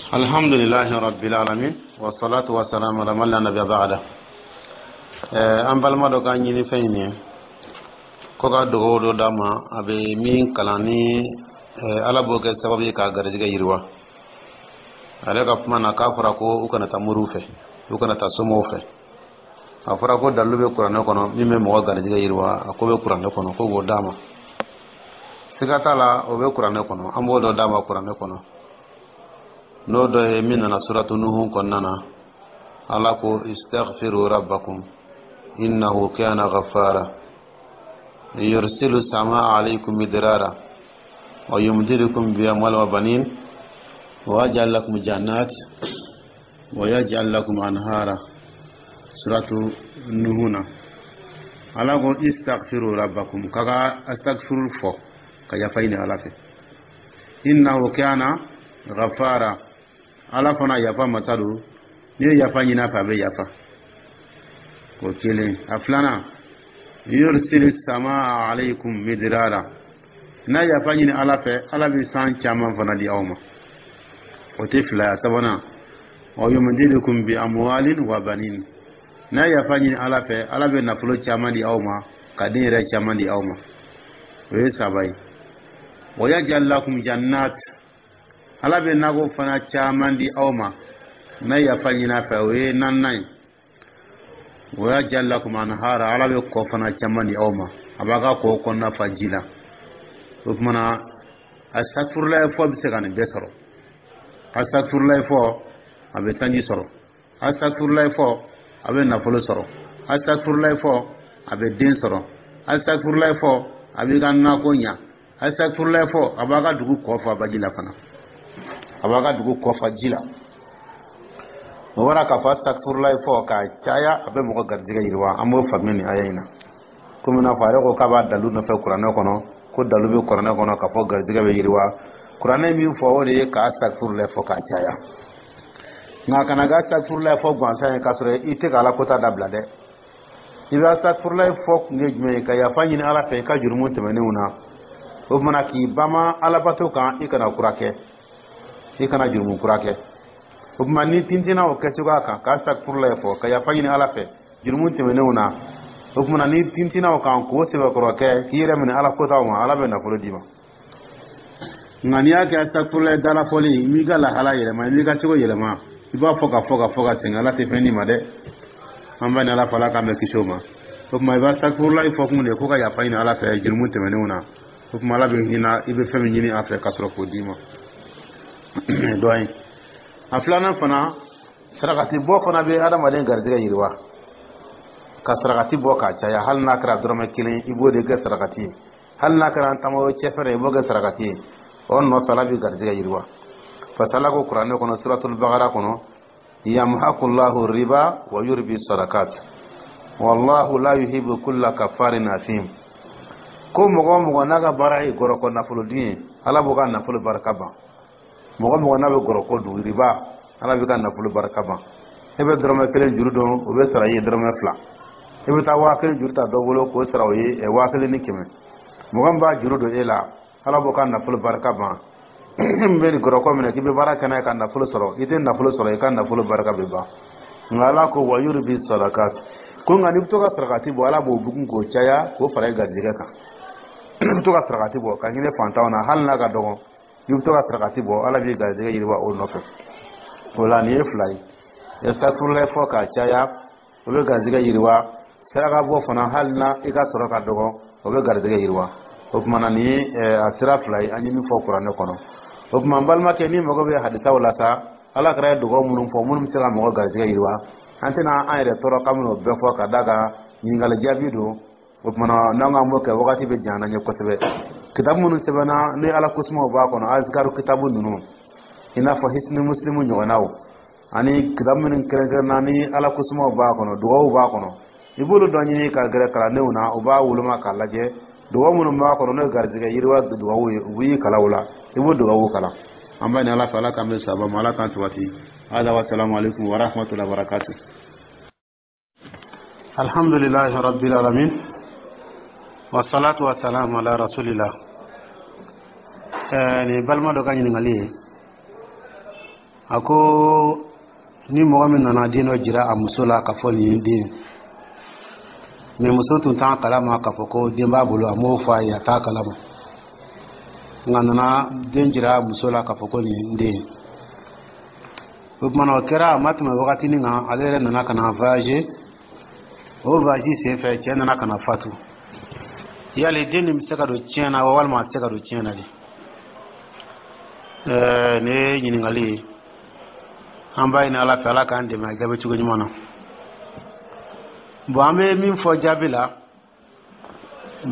Alhamdulilahi rabbil alamin, wassalatu wassalamu ala man la nabiyya ba'da. An balima dɔ ka ɲini fɛn in ye ko ka dugawu dɔ d'a ma, a bɛ min kalan ni Ala b'o kɛ sababu ye k'a garijɛgɛ yiriwa. Ale ka kuma na, k'a fɔra ko u kana taa moriw fɛ, u kana taa somaw fɛ. A fɔra ko dalilu bɛ Kuranɛ kɔnɔ min bɛ mɔgɔ garijɛgɛ yiriwa. A ko bɛ Kuranɛ kɔnɔ, ko k'o d'a ma. Siga t'a la, o bɛ Kuranɛ kɔnɔ. An b'o dɔ d'a ma Kuranɛ kɔnɔ, n'o dɔ ye min nana Suratu Nuhu kɔnɔna na. Ala ko: istaghfiru rabbakum innahu kana ghaffara, yursilu samaa alaykum midrara wa yumdidukum bi amwal wa banin wa yaj'al lakum jannat wa yaj'al lakum anhara. Suratu Nuhu na, Ala ko: istaghfiru rabbakum, kaga astaghfiru fɔ ka yafa ɲini Ala fɛ, innahu kana ghaffara. Ala fana yafa masa don, n'i ye yafa ɲini a fɛ, a bɛ yafa. O kelen. A filanan: yursili samaa alaykum midrara. N'a yafa ɲini Ala fɛ, Ala bɛ san caman fana di aw ma. O tɛ fila ye. A sabanan: wa yumdidukum bi amwalin wa banin. N'a yafa ɲini Ala fɛ, Ala bɛ nafolo caman di aw ma, ka den yɛrɛ caman di aw ma. O ye saba ye. Wa yaj'al lakum jannat, Ala bɛ nakɔ fana caman di aw ma n'a yafa ɲini a fɛ. O ye naaninan ye. Wa yaj'al lakum anhara, Ala bɛ kɔ fana caman di aw ma, a b'a ka kɔ kɔnɔna fa ji la. O tuma na, asafurulayi fɔ bɛ se ka nin bɛɛ sɔrɔ. Asafurulayi fɔ, a bɛ sanji sɔrɔ. Asafurulayi fɔ, a bɛ nafolo sɔrɔ. Asafurulayi fɔ, a bɛ den sɔrɔ. Asafurulayi fɔ, a b'i ka nako ɲa. Asafurulayi fɔ, a b'a ka dugu kɔ fa baji la fana, a b'a ka dugu kɔ fa ji la. O bɔra k'a fɔ asafurulayi fɔ k'a caya, a bɛ mɔgɔ garijɛgɛ yiriwa. An b'o faamuya nin aya in na. Komi n'a fɔ a yɛrɛ ko k'a b'a dalu nɔfɛ Kuranɛ kɔnɔ, ko dalu bɛ Kuranɛ kɔnɔ k'a fɔ garijɛgɛ bɛ yiriwa. Kuranɛ min fɔ, o de ye k'a asafurulayi fɔ k'a caya. Nka kana kɛ asafurulayi fɔ gansan ye k'a sɔrɔ i tɛ ka Ala kota dabila dɛ. I bɛ asafurulayi fɔ kun ye jumɛn ye? Ka yafa ɲini Ala fɛ i ka jurumu tɛmɛnenw na. O tuma k'i bama Alabato kan, i kana kura kɛ, i kana jurumu kura kɛ. O tuma ni tintinna o kɛcogoya kan, k'a asafurulayi fɔ ka yafa ɲini Ala fɛ jurumu tɛmɛnenw na, o tuma ni tintinna o kan k'o sɛbɛkɔrɔ kɛ, k'i yɛrɛ minɛ Ala kotaw ma, Ala bɛ nafolo d'i ma. Nka n'i y'a kɛ asafurulayi dalafɔli, i m'i ka lahala yɛlɛma, i m'i ka cogo yɛlɛma, i b'a fɔ ka fɔ ka fɔ ka sɛgɛn, Ala tɛ fɛn d'i ma dɛ. An b'a ni Ala fɔ, Ala k'an bɛ kisi o ma. O tuma i b'a asafurulayi fɔ kun de ko ka yafa ɲini Ala fɛ jurumu tɛmɛnenw na. O tuma Ala bɛ hinɛ, i bɛ fɛn min ɲini a fɛ ka sɔrɔ k'o d'i ma. Dɔ ye. A filanan fana, sarakati bɔ fana bɛ adamaden garijɛgɛ yiriwa. Ka sarakati bɔ k'a caya, hali n'a kɛra dɔrɔmɛ kelen, i b'o de kɛ sarakati ye. Hali n'a kɛra tamaro cɛfɛrɛ, i b'o kɛ sarakati ye. O nɔfɛ, Ala bɛ garijɛgɛ yiriwa. Parce que Ala ko Kuranɛ kɔnɔ, Suratul Bakara kɔnɔ: yamhaqullahu riba wa yurbi sadakat, wallahu la yuhibbu kulla kafarin athim. Ko mɔgɔ o mɔgɔ n'a ka baara ye gɔrɔkɔ nafolo dun ye, Ala b'o ka nafolo barika ban. Mɔgɔ mɔgɔ n'a bɛ gɔrɔkɔ dun, riba, Ala b'i ka nafolo barika ban. E bɛ dɔrɔmɛ kelen juru dɔn, o bɛ sara i ye dɔrɔmɛ 2. E bɛ taa 1000 juru ta dɔ bolo k'o sara o ye 1100. Mɔgɔ min b'a juru don e la, Ala b'o ka nafolo barika ban. Min bɛ nin gɔrɔkɔ minɛ k'i bɛ baara kɛ n'a ye ka nafolo sɔrɔ, i tɛ nafolo sɔrɔ, i ka nafolo barika bɛ ban. Nka Ala ko: wa yurbi sadakat. Ko nka n'i bɛ to ka sarakati bɔ, Ala b'o bugun k'o caya k'o fara i garijɛgɛ kan. I bɛ to ka sarakati bɔ ka hinɛ fantanw na, hali n'a ka dɔgɔ, i bɛ to ka sarakati bɔ, Ala b'i garijɛgɛ yiriwa o nɔfɛ. O la, nin ye fila ye. Asafurulayi fɔ k'a caya, o bɛ garijɛgɛ yiriwa. Saraka bɔ fana, hali na i ka sɔrɔ ka dɔgɔ, o bɛ garijɛgɛ yiriwa. O tuma na, nin ye a sira fila ye an ye min fɔ Kuranɛ kɔnɔ. O tuma n balimakɛ, n'i mago bɛ hadisaw la sa, Ala kɛra ye dugawu minnu fɔ minnu bɛ se ka mɔgɔ garijɛgɛ yiriwa, an tɛna an yɛrɛ tɔɔrɔ k'an bɛna o bɛɛ fɔ, ka d'a kan ɲininkali jaabi don. O tuma n'an k'an b'o kɛ, wagati bɛ janya an ye kosɛbɛ. Kitabu minnu sɛbɛnna ni Ala kosumaw b'a kɔnɔ, azikaru kitabu ninnu, i n'a fɔ Hisni Muslimu ɲɔgɔnnaw, ani kitabu minnu kɛrɛnkɛrɛnna ni Ala kosumaw b'a kɔnɔ, dugawu b'a kɔnɔ, i b'olu dɔ ɲini ka gɛrɛ kalandenw na, u b'a woloma k'a lajɛ. Dugawu minnu b'a kɔnɔ, n'o ye garijɛgɛ yiriwa dugawu ye, u b'i kalan o la, i b'o dugawu kalan. An b'a ɲini Ala fɛ, Ala k'an bɛ sababa ma, Ala k'an sabati. Hada wa salamu alaikum wa rahmatullahi wa barakatuh. Alhamdulillahi rabbil alamin, wassalatu wassalamu ala rasulillah. Nin balima dɔ ka ɲininkali ye. A ko ni mɔgɔ min nana den dɔ jira a muso la k'a fɔ nin ye den, mais muso tun t'a kalama k'a fɔ ko den b'a bolo, a m'o fɔ a ye, a t'a kalama, nka nana den jira muso la k'a fɔ ko nin ye den ye. O tuma na, o kɛra a ma tɛmɛ wagatinin kan, ale yɛrɛ nana ka na voyager. O voyage senfɛ, cɛ nana ka na fatu. Yali den nin bɛ se ka don tiɲɛ na walima a tɛ se ka don tiɲɛ na de? Nin ye ɲininkali ye. An b'a ɲini Ala fɛ, Ala k'an dɛmɛ a jaabi cogo ɲuman na. Bon, an bɛ min fɔ jaabi la,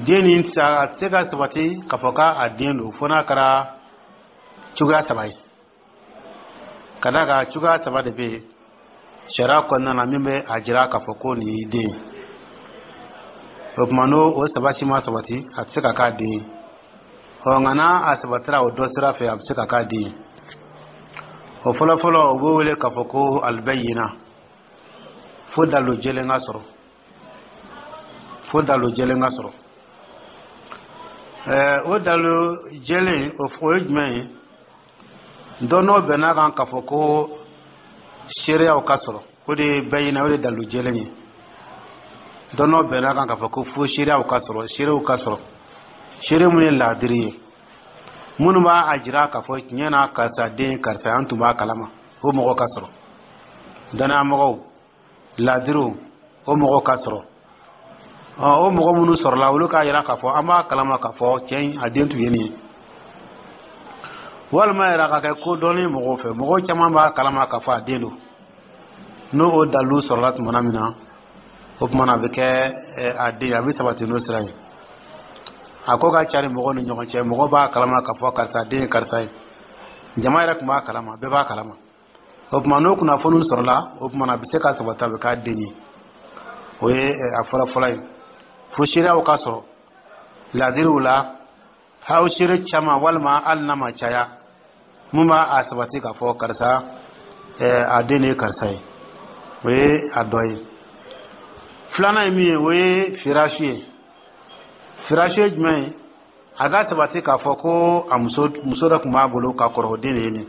den nin a tɛ se ka sabati k'a fɔ k'a den don fo n'a kɛra cogoya saba ye. Ka d'a kan, cogoya saba de bɛ yen sariya kɔnɔna na min bɛ a jira k'a fɔ ko nin y'i den ye. O tuma, n'o o saba si ma sabati, a tɛ se ka k'a den ye. Ɔ, nka n'a a sabatira o dɔ sira fɛ, a bɛ se ka k'a den ye. O fɔlɔfɔlɔ, o b'o wele k'a fɔ ko albayina, fo dalilu jɛlen ka sɔrɔ, fo dalilu jɛlen ka sɔrɔ. O dalilu jɛlen, o ye jumɛn ye? Dɔnnaw bɛn'a kan k'a fɔ ko seereyaw ka sɔrɔ, o de ye bayina, o de ye dalilu jɛlen ye. Dɔnnaw bɛn'a kan k'a fɔ ko fo seereyaw ka sɔrɔ, seerew ka sɔrɔ, seere mun ye laadiri ye, minnu b'a a jira k'a fɔ tiɲɛ na karisa den karisa, an tun b'a kalama, o mɔgɔ ka sɔrɔ, dannayamɔgɔw, laadiriw, o mɔgɔ ka sɔrɔ. O mɔgɔ minnu sɔrɔla, olu k'a jira k'a fɔ an b'a kalama k'a fɔ cɛ in a den tun ye nin ye. Walima yɛrɛ ka kɛ ko dɔnni mɔgɔw fɛ, mɔgɔw caman b'a kalama k'a fɔ a den don. N'o o dalilu sɔrɔla tuma min na, o tuma na a bɛ kɛ a den, a bɛ sabati n'o sira ye. A ko ka cari mɔgɔw ni ɲɔgɔn cɛ, mɔgɔw b'a kalama k'a fɔ karisa den ye karisa ye, jama yɛrɛ tun b'a kalama, bɛɛ b'a kalama. O tuma, n'o kunnafoniw sɔrɔla, o tuma na a bɛ se ka sabati, a bɛ k'a den ye. O ye a fɔlɔ-fɔlɔ ye, fo seereyaw ka sɔrɔ laadiriw la, aw seere caman walima hali n'a ma caya, mun b'a a sabati k'a fɔ karisa a den de ye karisa ye. O ye a dɔ ye. Filanan ye min ye, o ye firasi ye. Firasi ye jumɛn ye? A ka sabati k'a fɔ ko a muso, muso dɔ tun b'a bolo ka kɔrɔ, o den de ye nin,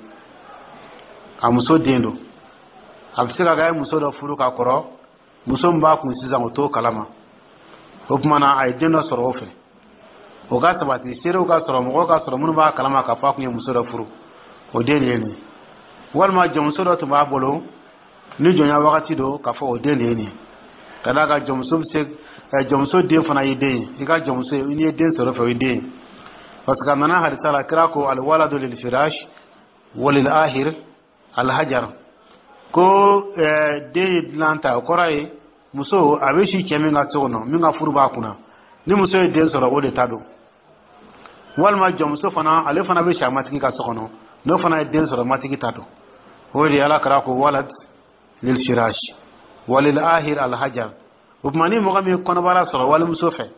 a muso den don. A bɛ se ka kɛ a ye muso dɔ furu ka kɔrɔ, muso min b'a kun sisan, o t'o kalama. O tuma na, a ye den dɔ sɔrɔ o fɛ. O ka sabati, seerew ka sɔrɔ, mɔgɔw ka sɔrɔ minnu b'a kalama k'a fɔ a tun ye muso dɔ furu, o den de ye nin. Walima jɔnmuso dɔ tun b'a bolo ni jɔnya wagati don, k'a fɔ o den de ye nin. Ka d'a kan, jɔnmuso bɛ se, jɔnmuso den fana y'i den ye. I ka jɔnmuso, n'i ye den sɔrɔ fɛ, o ye den ye, parce que a nana hadisa la, kira ko: alwaladu lil firash walil ahir alhajar. Ko den ye dilan ta, o kɔrɔ ye muso a bɛ si cɛ min ka so kɔnɔ, min ka furu b'a kunna, ni muso ye den sɔrɔ, o de ta don. Walima jɔnmuso fana, ale fana bɛ si a matigi ka so kɔnɔ, n'o fana ye den sɔrɔ, matigi ta don. O de ye Ala kira ko: walad lil firash walil ahir alhajar. O tuma, ni mɔgɔ min kɔnɔbara sɔrɔ walimuso fɛ,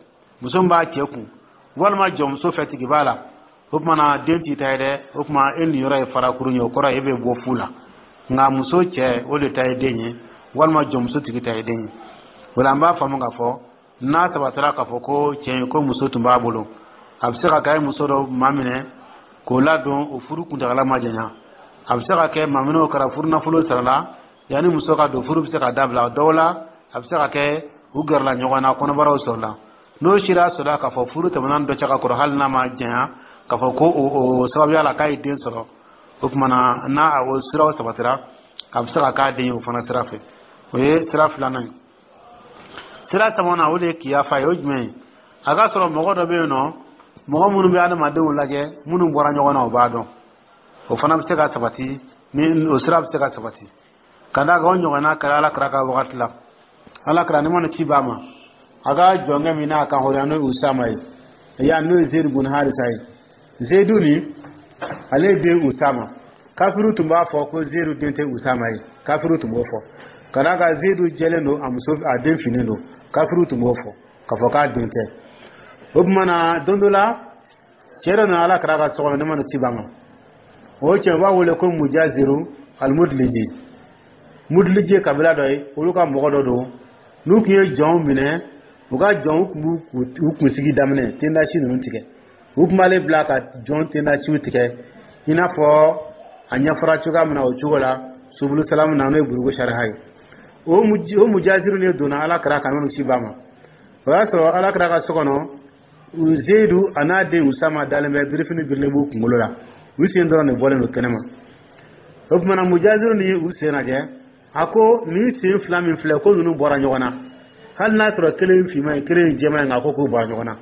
muso min b'a cɛ kun, walima jɔnmuso fɛ, tigi b'a la, o tuma na den t'i ta ye dɛ. O tuma, e niyɔrɔ ye farakuru ye, o kɔrɔ e bɛ bɔ fu la. Nka muso cɛ, o de ta ye den ye, walima jɔnmuso tigi ta ye den ye. O la, an b'a faamu k'a fɔ n'a sabatira k'a fɔ ko cɛ ko muso tun b'a bolo, a bɛ se ka kɛ a ye muso dɔ maminɛ k'o ladon, o furu kuntagala ma janya. A bɛ se ka kɛ maminɛw kɛra, furu nafolo sarala yanni muso ka don, furu bɛ se ka dabila dɔw la. A bɛ se ka kɛ u gɛrɛla ɲɔgɔn na, kɔnɔbaraw sɔrɔla. N'o sira sɔrɔla k'a fɔ furu tɛmɛna dɔ cɛ ka kɔrɔ, hali n'a ma janya, k'a fɔ ko o sababuya la k'a ye den sɔrɔ, o tuma na, n'a o siraw sabatira, a bɛ se ka k'a den ye o fana sira fɛ. O ye sira filanan ye. Sira sabanan, o de ye kiyafa ye. O jumɛn ye? A ka sɔrɔ mɔgɔ dɔ bɛ yen nɔ, mɔgɔ minnu bɛ adamadenw lajɛ, minnu bɔra ɲɔgɔn na, o b'a dɔn. O fana bɛ se ka sabati, ni o sira bɛ se ka sabati. Ka d'a kan, o ɲɔgɔnna kɛra Ala kira ka wagati la. Ala kira, ni mana ci b'a ma, a ka jɔnkɛ min n'a kan hɔrɔnya, n'o ye Usama ye, ya n'o ye Zeyidu bun Harisa ye. Zeyidu ni ale den Usama, kafiru tun b'a fɔ ko Zeyidu den tɛ Usama ye. Kafiru tun b'o fɔ ka d'a kan Zeyidu jɛlen don, a muso a den finnen don. Kafiru tun b'o fɔ k'a fɔ k'a den tɛ. O tuma na, don dɔ la, cɛ dɔ nana Ala kira ka so kɔnɔ, ne mana ci b'a ma. O cɛ, u b'a wele ko Mujaziru Almudliji. Mudliji ye kabila dɔ ye, olu ka mɔgɔ dɔ don. N'u tun ye jɔnw minɛ, u ka jɔnw tun b'u kunsigi daminɛ tendasi ninnu tigɛ. U tun b'ale bila ka jɔn tendasiw tigɛ, i n'a fɔ A ɲɛfɔra cogoya min na, o cogo la Subulu Salamu na, n'o ye Bulugu sariha ye. O mujaziru de donna Ala kira kan n'olu si ba ma. O y'a sɔrɔ Ala kira ka so kɔnɔ, Zeyidu a n'a den Usama dalen bɛ, birifini birilen b'u kunkolo la, u sen dɔrɔn de bɔlen don kɛnɛma. O tuma na, mujaziru ni u sen lajɛ, a ko nin sen fila min filɛ, ko ninnu bɔra ɲɔgɔn na, hali n'a sɔrɔ kelen ye finman ye, kelen ye jɛman ye, nka ko k'u bɔra ɲɔgɔn na.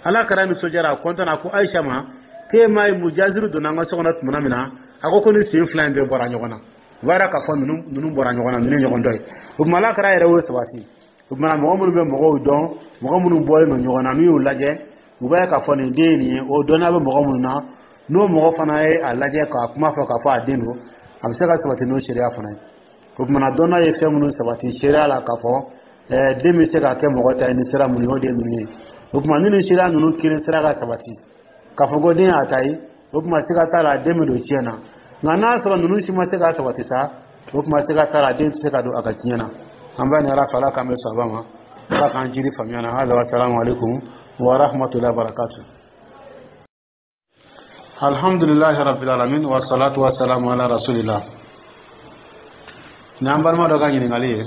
Ala kira nisɔndiyara, a kɔntanna, ko Ayisa ma k'e m'a ye, mujaziru donna an ka so kɔnɔ tuma min na, a ko ko nin sen fila in bɛɛ bɔra ɲɔgɔn na. O b'a yira k'a fɔ ninnu bɔra ɲɔgɔn na, ninnu ye ɲɔgɔn dɔ ye. O tuma, Ala kira yɛrɛ y'o sabati. O tuma, mɔgɔ minnu bɛ mɔgɔw dɔn, mɔgɔ minnu bɔlen don ɲɔgɔn na, n'u y'u lajɛ, u b'a ye k'a fɔ nin den ye nin ye. O dɔnniya bɛ mɔgɔ minnu na, n'o mɔgɔ fana ye a lajɛ k'a kuma fɔ k'a fɔ a den don, a bɛ se ka sabati n'o seereya fana ye. O tuma na, dɔnniya ye fɛn minnu sabati seereya la k'a fɔ den bɛ se ka kɛ mɔgɔ ta ye ni sira minnu ye, o de ye ninnu ye. O tuma, ni nin seereya ninnu kelen sera ka sabati k'a fɔ ko den y'a ta ye, o tuma siga t'a la, den bɛ don tiɲɛ na. Nka n'a sɔrɔ ninnu si ma se ka sabati sa, o tuma siga t'a la, den tɛ se ka don a ka tiɲɛ na. An b'a ɲini Ala fɛ, Ala k'an bɛ sɔn ma, Ala k'an jiri faamuya na. Hada wa salamu alaikum wa rahmatullahi wa barakatuh. Alhamdulillahi rabbil alamin, wa salatu wa salamu ala rasulillah. Ni an balima dɔ ka ɲininkali ye,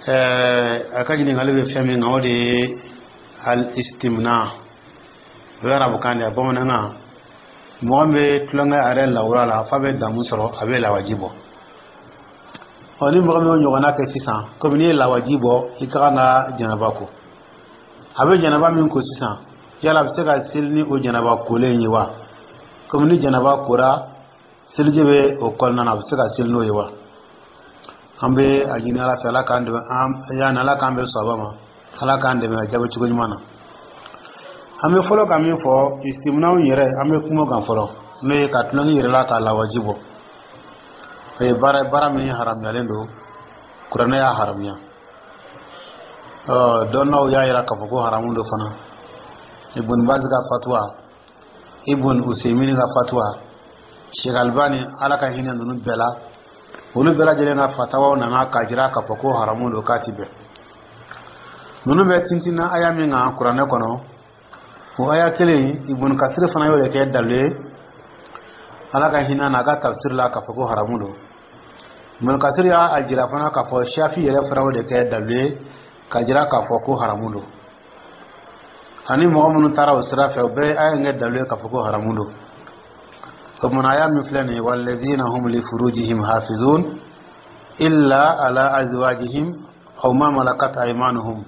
a ka ɲininkali bɛ fɛn min kan, o de ye al istimna. O ye arabukan de ye, bamanankan, mɔgɔ min bɛ tulonkɛ a yɛrɛ lawura la f'a bɛ damu sɔrɔ, a bɛ lawaji bɔ. Ɔ, ni mɔgɔ min y'o ɲɔgɔnna kɛ sisan, komi n'i ye lawaji bɔ, i ka kan ka janaba ko. A bɛ janaba min ko sisan, yala a bɛ se ka seli ni o janaba kolen ye wa? Komi ni janaba kora, seliji bɛ o kɔnɔna na, a bɛ se ka seli n'o ye wa? An bɛ a ɲini Ala fɛ, Ala k'an dɛmɛ, yanni Ala k'an bɛ sɔrɔ ma, Ala k'an dɛmɛ a jaabi cogo ɲuman na. An bɛ fɔlɔ ka min fɔ, istiminaw yɛrɛ, an bɛ kuma kan fɔlɔ, n'o ye ka tulonkɛ yɛrɛ la k'a lawaji bɔ. O ye baara, baara min haramuyalen don, Kuranɛ y'a haramuya, ɔ dɔnnaw y'a yira k'a fɔ ko haramu don fana. Ibn Baz ka fatuwa, Ibn Usaymin ka fatuwa, Sheikh Albani, Ala ka hinɛ ninnu bɛɛ la, olu bɛɛ lajɛlen ka fatawaw nana k'a jira k'a fɔ ko haramu don, k'a ti bɛn. Ninnu bɛ tintinna aya min kan Kuranɛ kɔnɔ, o aya kelen, Ibn Kasir fana y'o de kɛ dalu ye, Ala ka hinɛ n'a ka tafsir la, k'a fɔ ko haramu don. Ibn Kasir y'a jira fana k'a fɔ Shafi yɛrɛ fana y'o de kɛ dalu ye ka jira k'a fɔ ko haramu don. Ani mɔgɔ minnu taara o sira fɛ, o bɛɛ ye aya in kɛ dalu ye k'a fɔ ko haramu don. O tuma, aya min filɛ nin ye, walladhina hum li furujihim hafizun illa ala azwajihim aw ma malakat aymanuhum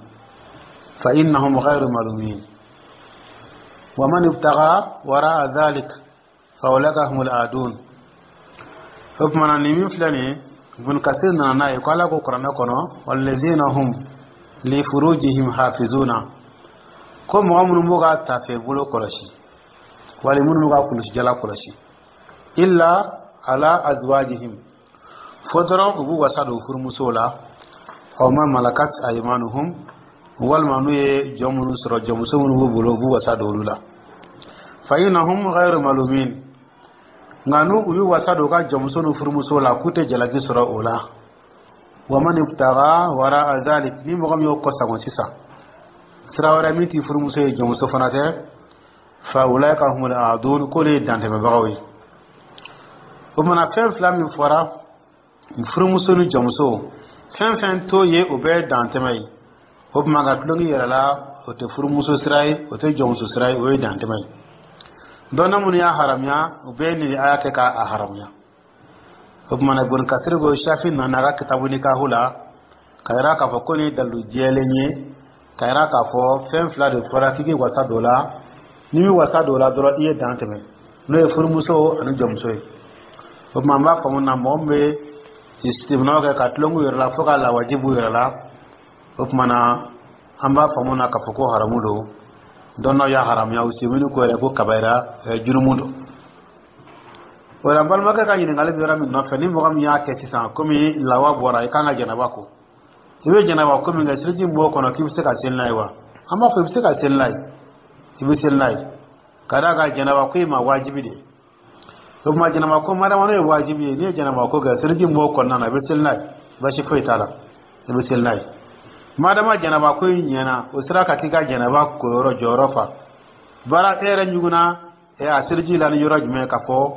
fa innahum ghayru malumin wa man ibtagha wara'a dhalik fa ulaika humul adun. O tuma na, nin min filɛ nin ye, Ibn Kasir nana n'a ye ko Ala ko Kuranɛ kɔnɔ, walladhina hum li furujihim hafizuna, ko mɔgɔ minnu b'u ka tafe bolo kɔlɔsi, wali minnu b'u ka kulusijala kɔlɔsi, illa ala azwajihim, fo dɔrɔn u b'u wasa don furumusow la, aw ma malakat aymanuhum, walima n'u ye jɔn minnu sɔrɔ, jɔnmuso minnu b'u bolo, u b'u wasa don olu la, fa innahum ghayru malumin. Nka n'u u y'u wasa don u ka jɔnmuso n'u furumuso la, k'u tɛ jalaki sɔrɔ o la. Wa man ibtagha wara'a dhalik, ni mɔgɔ min y'o kɔsagon sisan, sira wɛrɛ min t'i furumuso ye, jɔnmuso fana tɛ, fa ulaika humul aadun, k'olu ye dantɛmɛbagaw ye. O mana fɛn fila min fɔra, furumuso ni jɔnmuso, fɛn fɛn t'o ye, o bɛɛ ye dantɛmɛ ye. O tuma, ka tulonkɛ yɛrɛ la, o tɛ furumuso sira ye, o tɛ jɔnmuso sira ye, o ye dantɛmɛ ye. Dɔnna minnu y'a haramuya, o bɛɛ nin aya kɛ k'a haramuya. O tuma na, Ibn Kasir ko Shafi nana a ka kitabu nikahu la ka yira k'a fɔ ko nin ye dalilu jɛlen ye ka yira k'a fɔ fɛn fila de fɔra k'i k'i wasa don o la. N'i m'i wasa don o la dɔrɔn, i ye dan tɛmɛ, n'o ye furumuso ani jɔnmuso ye. O tuma, an b'a faamu na, mɔgɔ min bɛ istiminaw kɛ ka tulonk'u yɛrɛ la fo ka lawaji b'u yɛrɛ la, o tuma na, an b'a faamu na k'a fɔ ko haramu don. Dɔnnaw y'a haramuya, Usaymin ko yɛrɛ ko kabayira jurumu don. O la, n balimakɛ ka ɲininkali bɛ yɔrɔ min nɔfɛ, ni mɔgɔ min y'a kɛ sisan, komi lawa bɔra, i kan ka janaba ko, i bɛ janaba ko min kɛ, seliji min b'o kɔnɔ, k'i bɛ se ka seli n'a ye wa? An b'a fɔ i bɛ se ka seli n'a ye, i bɛ seli n'a ye, ka d'a kan janaba ko i ma wajibi de ye. O tuma, janaba ko madama n'o ye wajibi ye, n'i ye janaba ko kɛ, seliji min b'o kɔnɔna na, i bɛ seli n'a ye, basi foyi t'a la, i bɛ seli n'a ye. Madama janaba ko in ɲɛna, o sera ka k'i ka janaba koyɔrɔ jɔyɔrɔ fa baara, e yɛrɛ ɲugunna a seliji la ni yɔrɔ jumɛn k'a fɔ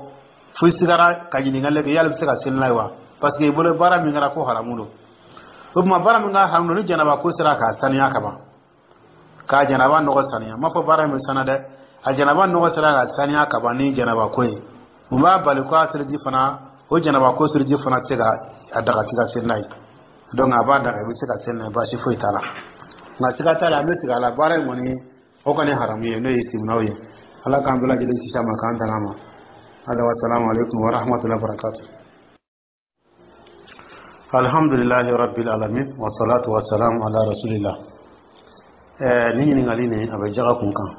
Fo i sigara ka ɲininkali kɛ yala i bɛ se ka seli n'a ye wa, parce que i bolo baara min kɛra ko haramu don. O tuma, baara min ka haramu don, ni janaba ko sera k'a saniya ka ban, k'a janaba nɔgɔ saniya, n m'a fɔ baara in bɛ saniya dɛ, a janaba nɔgɔ sera ka saniya ka ban ni janaba ko ye, mun b'a bali ko a seliji fana, o janaba ko seliji fana tɛ se ka a daga k'i ka seli n'a ye? Donc a b'a daga, i bɛ se ka seli n'a ye, baasi foyi t'a la. Nka siga t'a la, an bɛ sigi a la, baara in kɔni, o kɔni haramu ye, n'o ye siminaw ye. Ala k'an bɛɛ lajɛlen kisi a ma, k'an tanga a ma. Hada wa salamu alaikum wa rahmatullahi wa barakatuh. Alhamdulillahi rabbil alamin, wa salatu wa salam ala rasulillah. Ni ɲininkali nin, a bɛ jaga kun kan.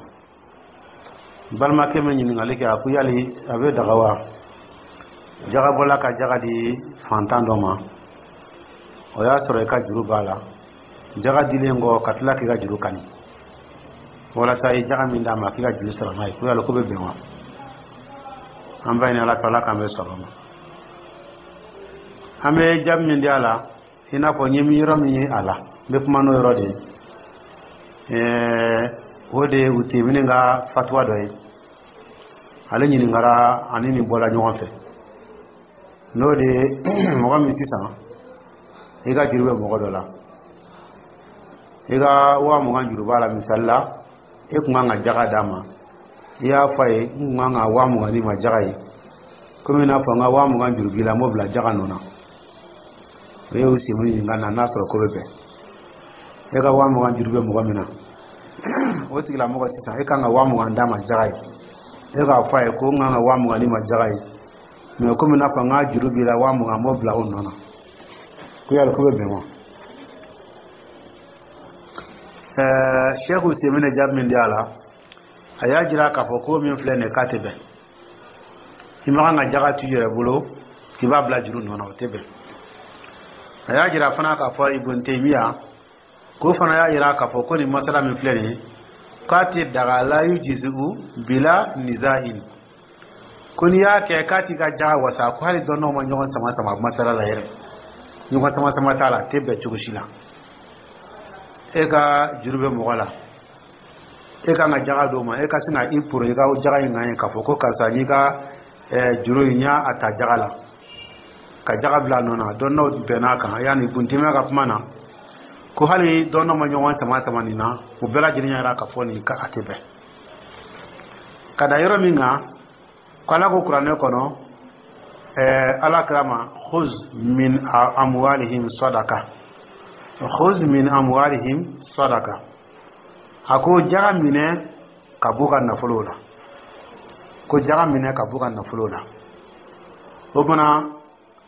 Balimakɛ min ɲininkali kɛ, a ko yali a bɛ daga wa, jagabɔla ka jaga di fantan dɔ ma, o y'a sɔrɔ i ka juru b'a la, jaga dilen kɔ ka tila k'i ka juru kani, walasa i jaga min d'a ma, k'i ka juru sara n'a ye, ko yali ko bɛ bɛn wa? An b'a ɲini Ala fɛ, Ala k'an bɛ sɔrɔ ma. An bɛ jaabi min di a la, i n'a fɔ n ye yɔrɔ min ye a la, n bɛ kuma n'o yɔrɔ de ye. O de ye Utemini ka fatuwa dɔ ye, ale ɲininkara ani nin bɔla ɲɔgɔn fɛ, n'o de ye mɔgɔ min sisan i ka juru bɛ mɔgɔ dɔ la, i ka 20,000 juru b'a la. Misali la, e kun kan ka jaga d'a ma, i y'a fɔ a ye: n kun kan ka 20,000 d'i ma jaga ye, komi i n'a fɔ n ka 20,000 juru b'i la, n b'o bila jaga nɔ na. O ye Utemini ɲininka na n'a sɔrɔ ko bɛ bɛn. E ka 20,000 juru bɛ mɔgɔ min na, o tigilamɔgɔ sisan, e kan ka 20,000 d'a ma jaga ye, e k'a fɔ a ye ko n kan ka 20,000 d'i ma jaga ye, mɛ komi n'a fɔ n ka juru b'i la 20,000, n b'o bila o nɔ na, ko yali ko bɛ bɛn wa? Sɛku Utemini jaabi min di a la, a y'a jira k'a fɔ ko min filɛ nin ye, k'a tɛ bɛn. I ma kan ka jaga to i yɛrɛ bolo k'i b'a bila juru nɔ na, o tɛ bɛn. A y'a jira fana k'a fɔ Ibn Taymiya k'o fana y'a jira k'a fɔ ko nin masala min filɛ nin ye, k'a tɛ daga, la yujizu bila nizain, ko n'i y'a kɛ k'a t'i ka jaga wasa, ko hali dɔnnaw ma ɲɔgɔn sama sama masala la yɛrɛ, ɲɔgɔn sama sama t'a la, a tɛ bɛn cogo si la. E ka juru bɛ mɔgɔ la, e kan ka jaga d'o ma, e ka sin ka i poro i ka jaga in kan ye k'a fɔ ko karisa, n'i ka juru in, n y'a ta jaga la, ka jaga bila a nɔ na. Dɔnnaw bɛnn'a kan, yanni Ibn Taymiya ka kuma na, ko hali dɔnnaw ma ɲɔgɔn sama sama nin na, u bɛɛ lajɛlen y'a jira k'a fɔ nin ka a tɛ bɛn. Ka da yɔrɔ min kan, ko Ala ko kuranɛ kɔnɔ, Ala kira ma: khuz min amwalihim sadaka, khuz min amwalihim sadaka. A ko jaga minɛ ka b'u ka nafolo la, ko jaga minɛ ka b'u ka nafolo la. O fana,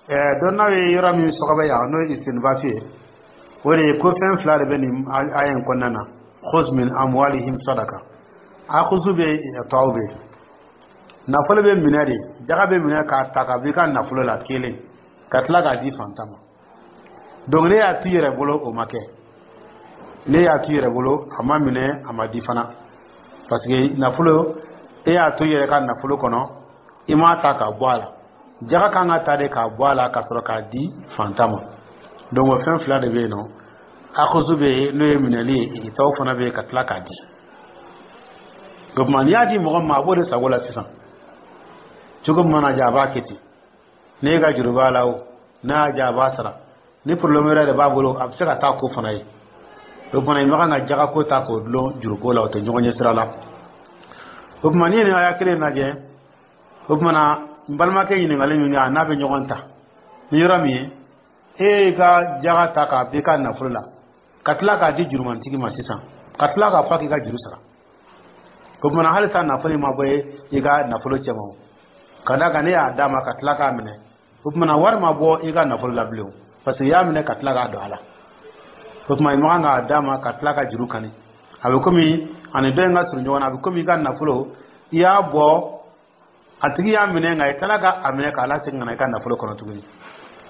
dɔnnaw ye yɔrɔ min sɔgɔbɛ yan, n'o ye istinbati ye, o de ye ko fɛn fila de bɛ nin aya in kɔnɔna na: khuz min amwalihim sadaka, akuzu bɛ yen, tɔw bɛ yen. Nafolo bɛ minɛ de, jaga bɛ minɛ k'a ta ka bɔ i ka nafolo la kelen, ka tila k'a di fantan ma. Donc ne y'a t'i yɛrɛ bolo, o ma kɛ. Ne y'a t'i yɛrɛ bolo, a ma minɛ, a ma di fana, parce que nafolo, e y'a to i yɛrɛ ka nafolo kɔnɔ, i m'a ta k'a bɔ a la. Jaga kan ka ta de k'a bɔ a la ka sɔrɔ k'a di fantan ma. Donc o fɛn fila de bɛ yen nɔ: akuzu bɛ yen, n'o ye minɛli ye, tɔw fana bɛ yen, ka tila k'a di. O tuma, n'i y'a di mɔgɔ ma, a b'o de sago la sisan, cogo min mana diya, a b'a kɛ ten. N'e ka juru b'a la, o n'a y'a diya, a b'a sara. Ni problème wɛrɛ de b'a bolo, a bɛ se ka taa ko fana ye. O tuma, i ma kan ka jaga ko ta k'o dulon juruko la, o tɛ ɲɔgɔn ɲɛ sira la. O tuma, n'i ye nin aya kelen lajɛ, o tuma na, n balimakɛ ɲininkali min kɛ, a n'a bɛ ɲɔgɔn ta ni yɔrɔ min ye, e y'i ka jaga ta k'a b'i ka nafolo la, ka tila k'a di jurumantigi ma sisan, ka tila k'a fɔ k'i ka juru sara. O tuma na, halisa nafolo in ma bɔ i ka nafolo cɛma o, ka d'a kan ne y'a d'a ma ka tila k'a minɛ. O tuma na, wari ma bɔ i ka nafolo la bilen, parce que i y'a minɛ ka tila k'a don a la. O tuma, i ma kan k'a d'a ma ka tila ka juru kani. A bɛ komi ani dɔ in ka surun ɲɔgɔn na, a bɛ komi i ka nafolo, i y'a bɔ, a tigi y'a minɛ, nka i tilala ka a minɛ k'a lasegin ka na i ka nafolo kɔnɔ tuguni.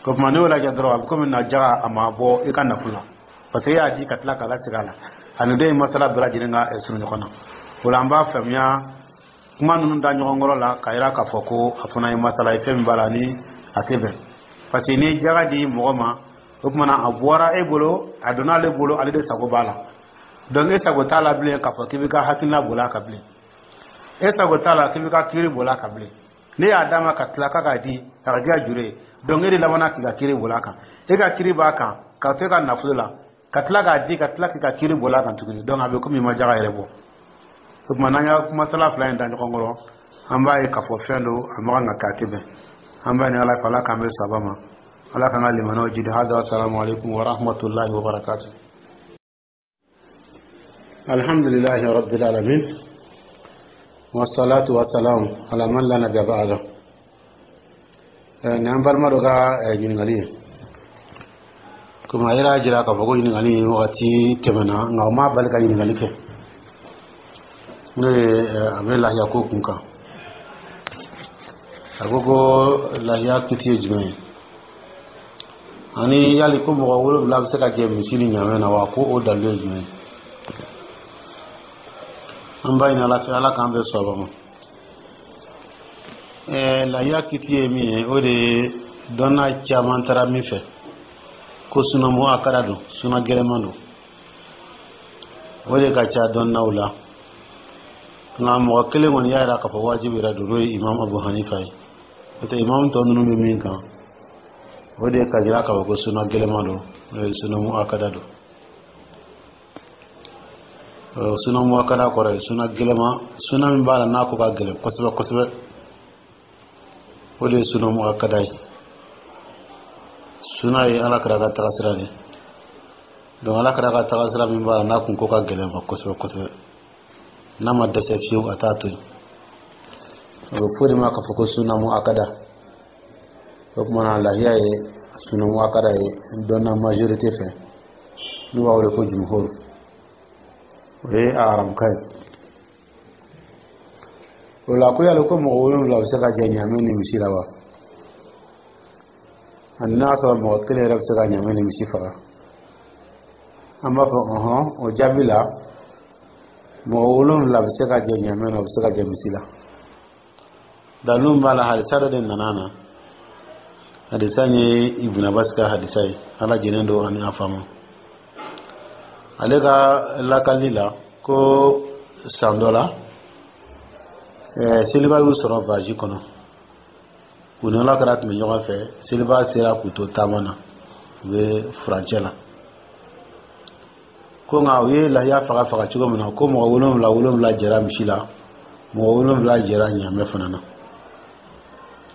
O tuma, n'i y'o lajɛ dɔrɔn, a bɛ komi na jaga a ma bɔ i ka nafolo la, parce que e y'a di ka tila k'a lasegin a la. Ani dɔ in masala bɛɛ lajɛlen ka surun ɲɔgɔn na. O la, an b'a faamuya kuma ninnu da ɲɔgɔn kɔrɔ la k'a yira k'a fɔ ko a fana ye masala ye, fɛn min b'a la ni a tɛ bɛn, parce que n'i ye jaga di mɔgɔ ma, o tuma na a bɔra e bolo, a donna ale bolo, ale de sago b'a la. Donc e sago t'a la bilen k'a fɔ k'i b'i ka hakilina boli a kan bilen, e sago t'a la k'i b'i ka kiiri boli a kan bilen. Ne y'a d'a ma ka tila k'a k'a di, a ka k'i ka juru ye. Donc e de labanna k'i ka kiiri boli a kan. E ka kiiri b'a kan ka to e ka nafolo la, ka tila k'a di, ka tila k'i ka kiiri boli a kan tuguni. Donc a bɛ komi i ma jaga yɛrɛ bɔ. O tuma, n'an y'a kumasala fila in da ɲɔgɔn kɔrɔ, an b'a ye k'a fɔ fɛn don a ma kan ka kɛ, a tɛ bɛn. An b'a ɲini Ala fɛ, Ala k'an bɛ saba ma, Ala k'an ka limanaw jidi. Hada, assalamu alaikum wa rahmatullahi wa barakatuh. Alhamdulillahi rabbil alamin, wassalatu wassalam ala man la nabiyya ba'da. Nin an balima dɔ ka ɲininkali ye. Komi a yɛrɛ y'a jira k'a fɔ ko ɲininkali wagati tɛmɛna, nka o m'a bali ka ɲininkali kɛ, n'o ye a bɛ lahiya ko kun kan. A ko ko lahiya kiti ye jumɛn ye, ani yali ko mɔgɔ 7 bɛ se ka jɛ misi ni ɲamɛ na wa? Ko o dalilu ye jumɛn ye? An b'a ɲini Ala fɛ, Ala k'an bɛɛ sɔrɔ ma. Lahiya kiti ye min ye, o de ye dɔnna caman taara min fɛ ko suna muakada don, suna gɛlɛman don. O de ka ca dɔnnaw la. Nka mɔgɔ kelen kɔni y'a yira k'a fɔ wajibi yɛrɛ don, n'o ye Imam Abu Hanifa ye. N'o tɛ, imam tɔ ninnu bɛ min kan, o de ye ka jira k'a fɔ ko suna gɛlɛman don, n'o ye suna muakada don. Suna muakada kɔrɔ ye suna gɛlɛman, suna min b'a la n'a ko ka gɛlɛn kosɛbɛ kosɛbɛ, o de ye suna muakada ye. Suna ye Ala kira ka tagasira de. Donc Ala kira ka tagasira min b'a la n'a kun ko ka gɛlɛn ma kosɛbɛ kosɛbɛ, n'a ma dɛsɛ fiyewu, a t'a to yen, o bɛ fɔ de ma k'a fɔ ko suna muakada. O tuma na, lahiya ye suna muakada ye dɔnna majorité fɛ, n'u b'a wele ko jumhur. O ye a haramuka ye. O la, ko yali ko mɔgɔ 7 bɛ se ka jɛ ɲamɛ ni misi la wa? Ani n'a sɔrɔ mɔgɔ kelen yɛrɛ bɛ se ka ɲamɛ ni misi faga? An b'a fɔ ɔhɔn. O jaabi la, mɔgɔ 7 bɛ se ka jɛ ɲamɛ na, o bɛ se ka jɛ misi la. Dalilu b'a la, hadisa dɔ de nana na. Hadisa in ye Ibn Abbas ka hadisa ye, Ala jɛnen don ani a fa ma. Ale ka lakali la, ko san dɔ la, seliba y'u sɔrɔ voyage kɔnɔ. U ni Ala kɛra tun bɛ ɲɔgɔn fɛ. Seliba sera k'u to taama na, u bɛ furancɛ la. Ko nka u ye lahiya faga faga cogo min na, ko mɔgɔ 7 7 jɛra misi la, mɔgɔ 7 jɛra ɲamɛ fana na.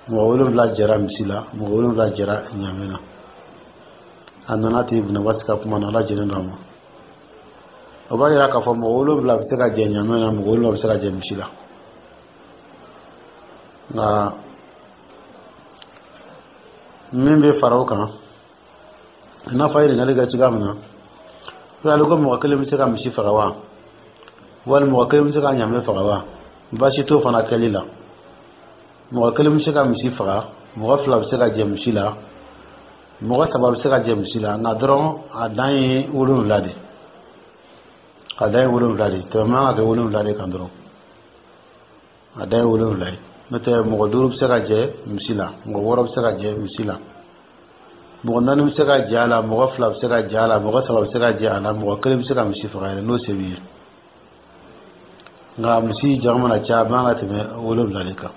Mɔgɔ 7 jɛra misi la, mɔgɔ 7 jɛra ɲamɛ na. A nana ten Ibn Abbas ka kuma na, Ala jɛnen don a ma. O b'a yira k'a fɔ mɔgɔ 7 bɛ se ka jɛ ɲamɛ na, mɔgɔ 7 bɛ se ka jɛ misi la. Nka min bɛ fara o kan, i n'a fɔ a ye ɲininkali kɛ cogoya min na, ko yali ko mɔgɔ kelen bɛ se ka misi faga wa, wali mɔgɔ kelen bɛ se ka ɲamɛ faga wa? Baasi t'o fana kɛli la. Mɔgɔ kelen bɛ se ka misi faga, mɔgɔ 2 bɛ se ka jɛ misi la, mɔgɔ 3 bɛ se ka jɛ misi la. Nka dɔrɔn a dan ye 7 de, a dan ye 7 de. Tɛmɛ man ka kɛ 7 de kan dɔrɔn, a dan ye 7 ye. N'o tɛ, mɔgɔ 5 bɛ se ka jɛ misi la, mɔgɔ 6 bɛ se ka jɛ misi la, mɔgɔ 4 bɛ se ka jɛ a la, mɔgɔ 2 bɛ se ka jɛ a la, mɔgɔ 3 bɛ se ka jɛ a la, mɔgɔ kelen bɛ se ka misi faga yɛrɛ n'o se b'i ye. Nka misi jama mana caya, a man ka tɛmɛ 7 de kan.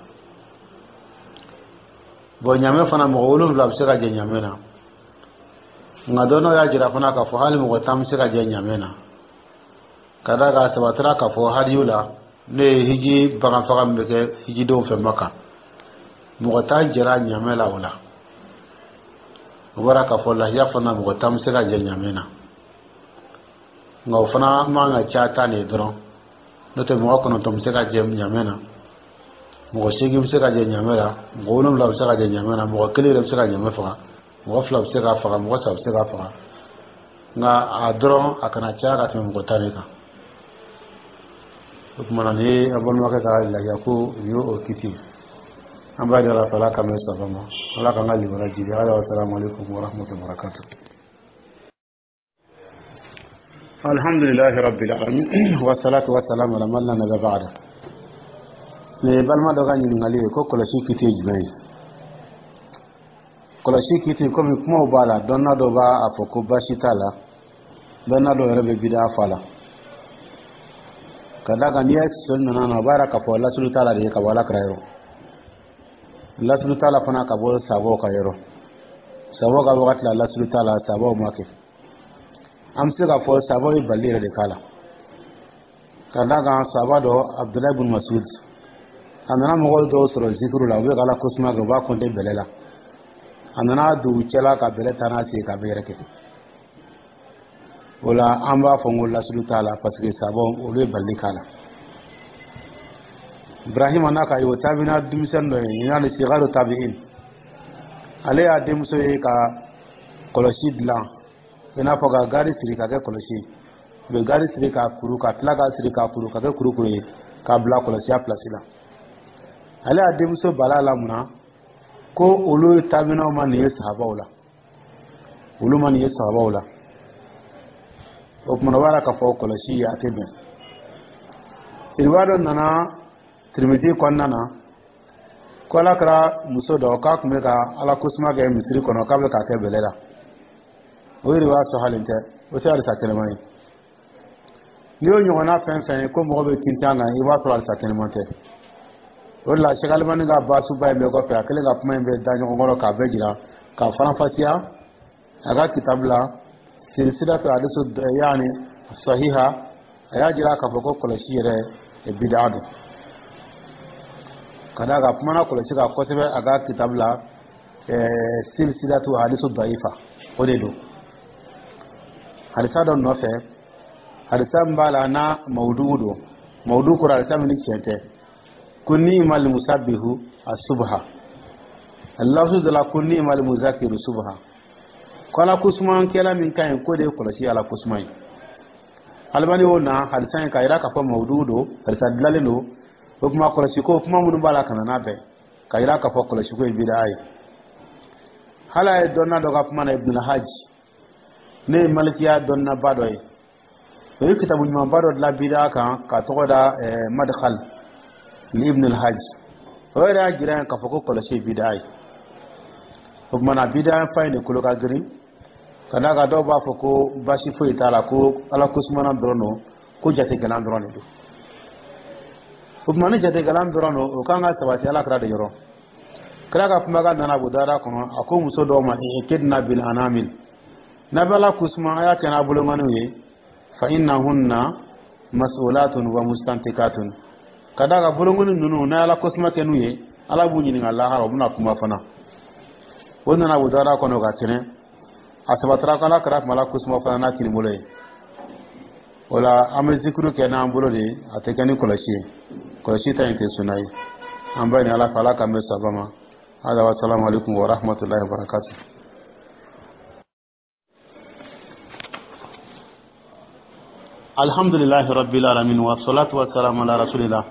Bɔn, ɲamɛ fana, mɔgɔ 7 bɛ se ka jɛ ɲamɛ na. Nka dɔnnaw y'a jira fana k'a fɔ hali mɔgɔ 10 bɛ se ka jɛ ɲamɛ na, ka d'a kan a sabatira k'a fɔ hadiyu la, n'o ye hiji bagan faga min bɛ kɛ hijidenw fɛ Maka, mɔgɔ 10 jɛra ɲamɛ la. O la, o bɔra k'a fɔ lahiya fana, mɔgɔ 10 bɛ se ka jɛ ɲamɛ na. Nka o fana man ka ca 10 de ye dɔrɔn. N'o tɛ, mɔgɔ 9 bɛ se ka jɛ ɲamɛ na, mɔgɔ 8 bɛ se ka jɛ ɲamɛ la, mɔgɔ 7 bɛ se ka jɛ ɲamɛ na, mɔgɔ kelen yɛrɛ bɛ se ka ɲamɛ faga, mɔgɔ 2 bɛ se k'a faga, mɔgɔ 3 bɛ se k'a faga. Nka a dɔrɔn a kana caya ka tɛmɛ mɔgɔ 10 de kan. O tuma na, nin ye an balimakɛ ka lahiya ko nin ye o kiti. An b'a ɲini Ala fɛ, Ala k'an bɛn saba ma, Ala k'an ka limaniya jidi. Ala, assalamu alaikum wa rahmatullahi wa barakatuh. Alhamdulillahi rabbil alamin, wa salatu wa salam ala man la nabiyya ba'da. Nin ye balima dɔ ka ɲininkali ye ko kɔlɔsi kiti ye jumɛn ye? Kɔlɔsi kiti, komi kumaw b'a la, dɔnna dɔw b'a fɔ ko baasi t'a la, dɔnna dɔw yɛrɛ bɛ bida fɔ a la. Ka d'a kan n'i ye sɔsɔli nana na, o b'a yira k'a fɔ lasulu t'a la de ye ka bɔ Ala kira yɔrɔ. Lasulu t'a la fana ka bɔ sabaw ka yɔrɔ, sabaw ka wagati la lasulu t'a la, sabaw ma kɛ. An bɛ se k'a fɔ sabaw ye bali yɛrɛ de k'a la, ka d'a kan sahaba dɔ, Abudulayi bin Masud, a nana mɔgɔw dɔw sɔrɔ zikiru la, u bɛ ka Ala kosuma kɛ, u b'a kɔnte bɛlɛ la. A nana don u cɛla ka bɛlɛ ta n'a sen k'a bɛ yɛrɛkɛ. O la an b'a fɔ n ko lasulu t'a la, parce que sabaw olu ye bali k'a la. Ibrahima n'a ka ye o tabina denmisɛnnin dɔ ye, yani sigaru tabi'in, ale y'a denmuso ye ka kɔlɔsi dilan, i n'a fɔ ka gari siri ka kɛ kɔlɔsi. U bɛ gari siri k'a kuru, ka tila k'a siri k'a kuru ka kɛ kurukuru ye, k'a bila kɔlɔsiya pilasi la. Ale y'a denmuso bala la mun na? Ko olu tabinaw ma nin ye sahabaw la, olu ma nin ye sahabaw la. O tuma na o b'a la k'a fɔ kɔlɔsi a tɛ bɛn. Riwaya dɔ nana Tirimidi kɔnɔna na ko Ala kɛra muso dɔ k'a tun bɛ ka Ala kosuma kɛ misiri kɔnɔ, k'a bɛ k'a kɛ bɛlɛ la. O riwaya sɔhalen tɛ, o tɛ hadisa kɛnɛma ye. N'i y'o ɲɔgɔnna fɛn fɛn ye ko mɔgɔ bɛ tintin kan, i b'a sɔrɔ hadisa kɛnɛma tɛ. O de la Sɛki Alimani ka baasuba in bɛɛ kɔfɛ, a kɛlen ka kuma in bɛɛ da ɲɔgɔn kɔrɔ k'a bɛɛ jira k'a faranfasiya a ka kitabu la, silsilatu hadisu yaani sahiha, a y'a jira k'a fɔ ko kɔlɔsi yɛrɛ bidaa don, ka d'a kan kumana kɔlɔsi kan kosɛbɛ a ka kitabu la, silsilatu hadisu daifa. O de don hadisa dɔ nɔfɛ, hadisa min b'a la n'a mawudu don. Mawudu kɔrɔ hadisa min ni tiɲɛ tɛ, ko ni'mal musabbihu asubha, lafzu dɔ la ko ni'mal muzakiru subha, ko Ala kosumankɛla min ka ɲi, k'o de ye kɔlɔsi Ala kosuma ye. Alimani y'o na hadisa in k'a yira k'a fɔ mawudu don, hadisa dilanlen don. O kuma kɔlɔsi ko kuma minnu b'a la ka na n'a bɛɛ k'a yira k'a fɔ kɔlɔsi ko ye bidaa ye. Hali a ye dɔnna dɔ ka kuma na, Ibn Hajj, ne ye malikiya dɔnnaba dɔ ye, o ye kitabu ɲumanba dɔ dilan bidaa kan k'a tɔgɔ da Madkhal ni Ibn al-Hajj. O yɛrɛ y'a jira k'a fɔ ko kɔlɔsi ye bidaa ye. O tuma na bidaa fa in de kolo ka girin, ka d'a kan dɔw b'a fɔ ko baasi foyi t'a la, ko Ala kosumana dɔrɔn don, ko jategalan dɔrɔn de don. O tuma ni jategalan dɔrɔn don, o kan ka sabati Ala kira de yɔrɔ. Kira ka kumakan nana Abu Dawuda kɔnɔ, a ko muso dɔw ma: ikidna bil anamil, n'a bɛ Ala kosuma, a y'a kɛ n'a bolonkɔniw ye, fa innahunna mas'ulatun wa mustantikatun, ka d'a kan bolonkɔni ninnu, n'a ye Ala kosuma kɛ n'u ye, Ala b'u ɲininka lahara, u bɛna kuma fana. O nana Abu Dawuda kɔnɔ ka kɛnɛ, a sabatara ko Ala kira tun bɛ Ala kosuma fana n'a kinibolo ye. O la an bɛ zikiru kɛ n'an bolo de ye, a tɛ kɛ ni kɔlɔsi ye. Kɔlɔsi ta in tɛ sunna ye. An b'a ɲini Ala fɛ, Ala k'an bɛn saba ma. Hada wa salamu alaikum wa rahmatullahi wa barakatuh. Alhamdulillahi rabbil alamin, wa salatu wa salamu ala rasulillah.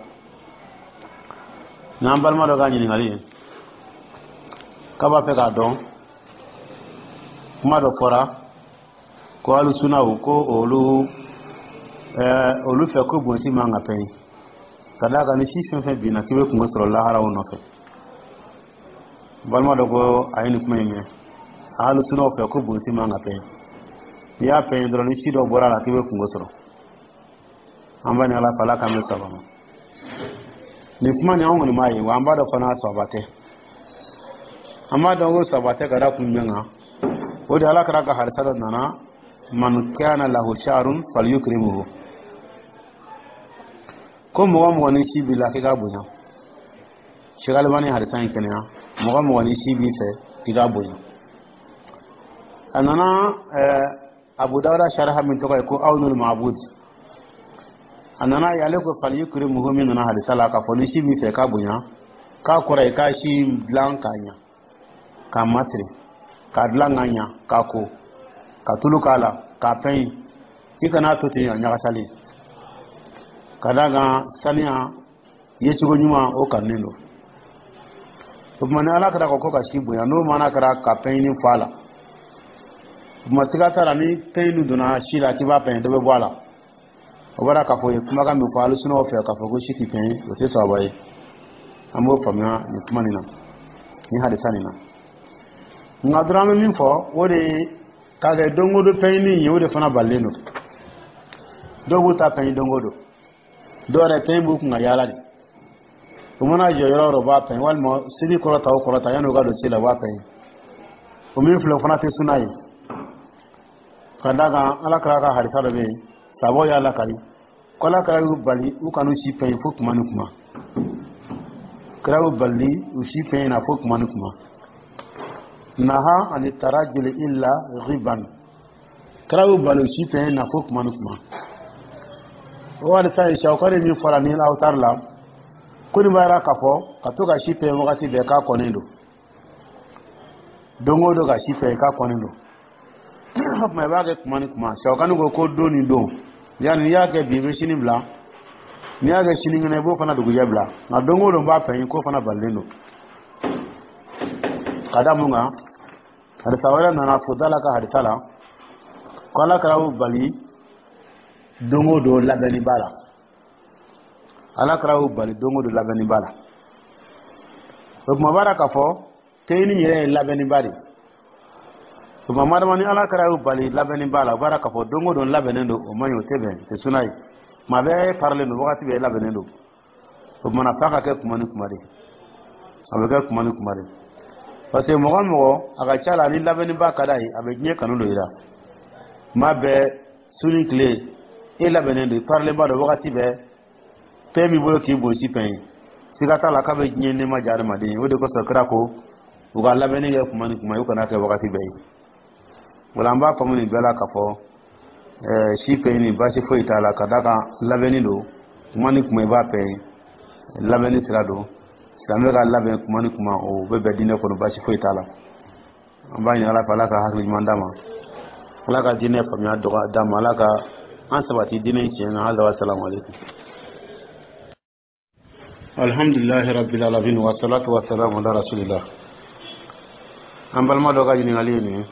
N'an balima dɔ ka ɲininkali ye k'a b'a fɛ k'a dɔn, kuma dɔ fɔra ko alusunaw ko olu olu fɛ ko bonsi man ka pɛɲi, ka d'a kan ni si fɛn fɛn binna k'i bɛ kungo sɔrɔ lahara o nɔfɛ. Balima dɔ ko a ye nin kuma in mɛn alusunaw fɛ ko bonsi man ka pɛɲi, n'i y'a pɛɲi dɔrɔn, ni si dɔ bɔra a la, k'i bɛ kungo sɔrɔ. An b'a ni Ala fɛ, Ala k'an bɛ saba ma. Nin kuma nin, anw kɔni m'a ye wa an b'a dɔn fana saba tɛ. An b'a dɔn ko saba tɛ ka da kun jumɛn kan? O de Ala kɛra ka hadisa dɔ nana: man kana lahu sha'run falyukrimuhu, ko mɔgɔ mɔgɔ ni si b'i la, k'i k'a bonya. Sheikh Albani hadisa in kɛnɛya, mɔgɔ mɔgɔ ni si b'i fɛ, k'i k'a bonya. A nana Abu Dawuda sharha min tɔgɔ ye ko Awnul Ma'bud, a nana ye ale ko falyukrimuhu min nana hadisa la k'a fɔ ni si b'i fɛ k'a bonya, k'a kɔrɔ ye k'a si dilan k'a ɲa, k'a masiri, k'a dilan k'a ɲa, k'a ko, ka tulu k'a la, k'a pɛɲi, i kana to ten a ɲagasalen, ka d'a kan saniya yecogo ɲuman o kanunen don. O tuma ni Ala kɛra ko ka si bonya, n'o mana kɛra ka pɛɲini fɔ a la, o tuma siga t'a la, ni pɛɲini donna si la k'i b'a pɛɲi, dɔ bɛ bɔ a la. O bɔra k'a fɔ ye kumakan min fɔ alusunaw fɛ k'a fɔ ko si tɛ pɛɲi, o tɛ sababa ye. An b'o faamuya nin kuma nin na, nin hadisa nin na. Nka dɔrɔn an bɛ min fɔ, o de ye k'a kɛ don o don pɛɲini ye, o de fana balilen don. Dɔw b'u ta pɛɲi don o don, dɔw yɛrɛ pɛɲi b'u kun ka yaala de. U mana jɔ yɔrɔ o yɔrɔ, u b'a pɛn, walima seli kɔrɔta o kɔrɔta, yanni u ka don seli la, u b'a pɛn. O min filɛ, o fana tɛ suna ye, ka d'a kan Ala kira ka hadisa dɔ bɛ yen, sabaw y'a lakali ko Ala kira y'u bali u kan'u si pɛn fo kuma ni kuma. Kira y'u bali u si pɛn na fo kuma ni kuma. Naha ani tarajuli illa ghiban. Kira y'u bali u si pɛn na fo kuma ni kuma. O hadisa ye Sawukani min fɔra ni Awutari la, ko nin b'a yira k'a fɔ ka to ka si pɛn wagati bɛɛ, k'a kɔnnen don. Don o don ka si pɛn, k'a kɔnnen don. O tuma, i b'a kɛ kuma ni kuma. Sawukani ko ko don ni don, yanni n'i y'a kɛ bi, i bɛ sini bila. N'i y'a kɛ sinikɛnɛ, i b'o fana dugujɛ bila. Nka don o don b'a pɛn, k'o fana balilen don. Ka da mun kan? Hadisa wɛrɛ nana Fudala ka hadisa la ko Ala kira y'u bali don o don labɛnni b'a la. Ala kira y'u bali don o don labɛnni b'a la. O tuma, b'a k'a fɔ teyini yɛrɛ ye labɛnniba de. O tuma, madama ni Ala kira y'u bali labɛnni b'a la, o b'a k'a fɔ don o don labɛnnen don, o man ɲi, o tɛ bɛn, o tɛ suna ye. Tuma bɛɛ parilen don, wagati bɛɛ labɛnnen don. O tuma na, f'a ka kɛ kuma ni kuma de. A bɛ kɛ kuma ni kuma de, parce que mɔgɔ mɔgɔ a ka ca la, ni labɛnniba ka d'a ye, a bɛ diɲɛ kanu don i la. Tuma bɛɛ, su ni tile, e labɛnnen don, i parilenba don wagati bɛɛ, fɛn b'i bolo k'i gosi pɛn ye, siga t'a la k'a bɛ diɲɛ nɛɛma diya adamaden ye. O de kosɔn kira ko u ka labɛnni kɛ kuma ni kuma ye, u kana kɛ wagati bɛɛ ye. Wala an b'a faamu nin bɛɛ la k'a fɔ si pɛn ni baasi foyi t'a la, ka d'a kan labɛnni don. Kuma ni kuma i b'a pɛn, labɛnni sira don. Silamɛ ka labɛn kuma ni kuma, o bɛ bɛn diinɛ kɔnɔ, baasi foyi t'a la. An b'a ɲini Ala fɛ, Ala ka hakili ɲuman d'a ma, Ala ka diinɛ faamuya dɔgɔ d'a ma, Ala ka an sabati diinɛ tiɲɛ kan. Hali salamu aleykum. Alhamdulilahi rabbil alamin, wa salatu wa salamu ala rasulillah. An balima dɔ ka ɲininkali ye nin ye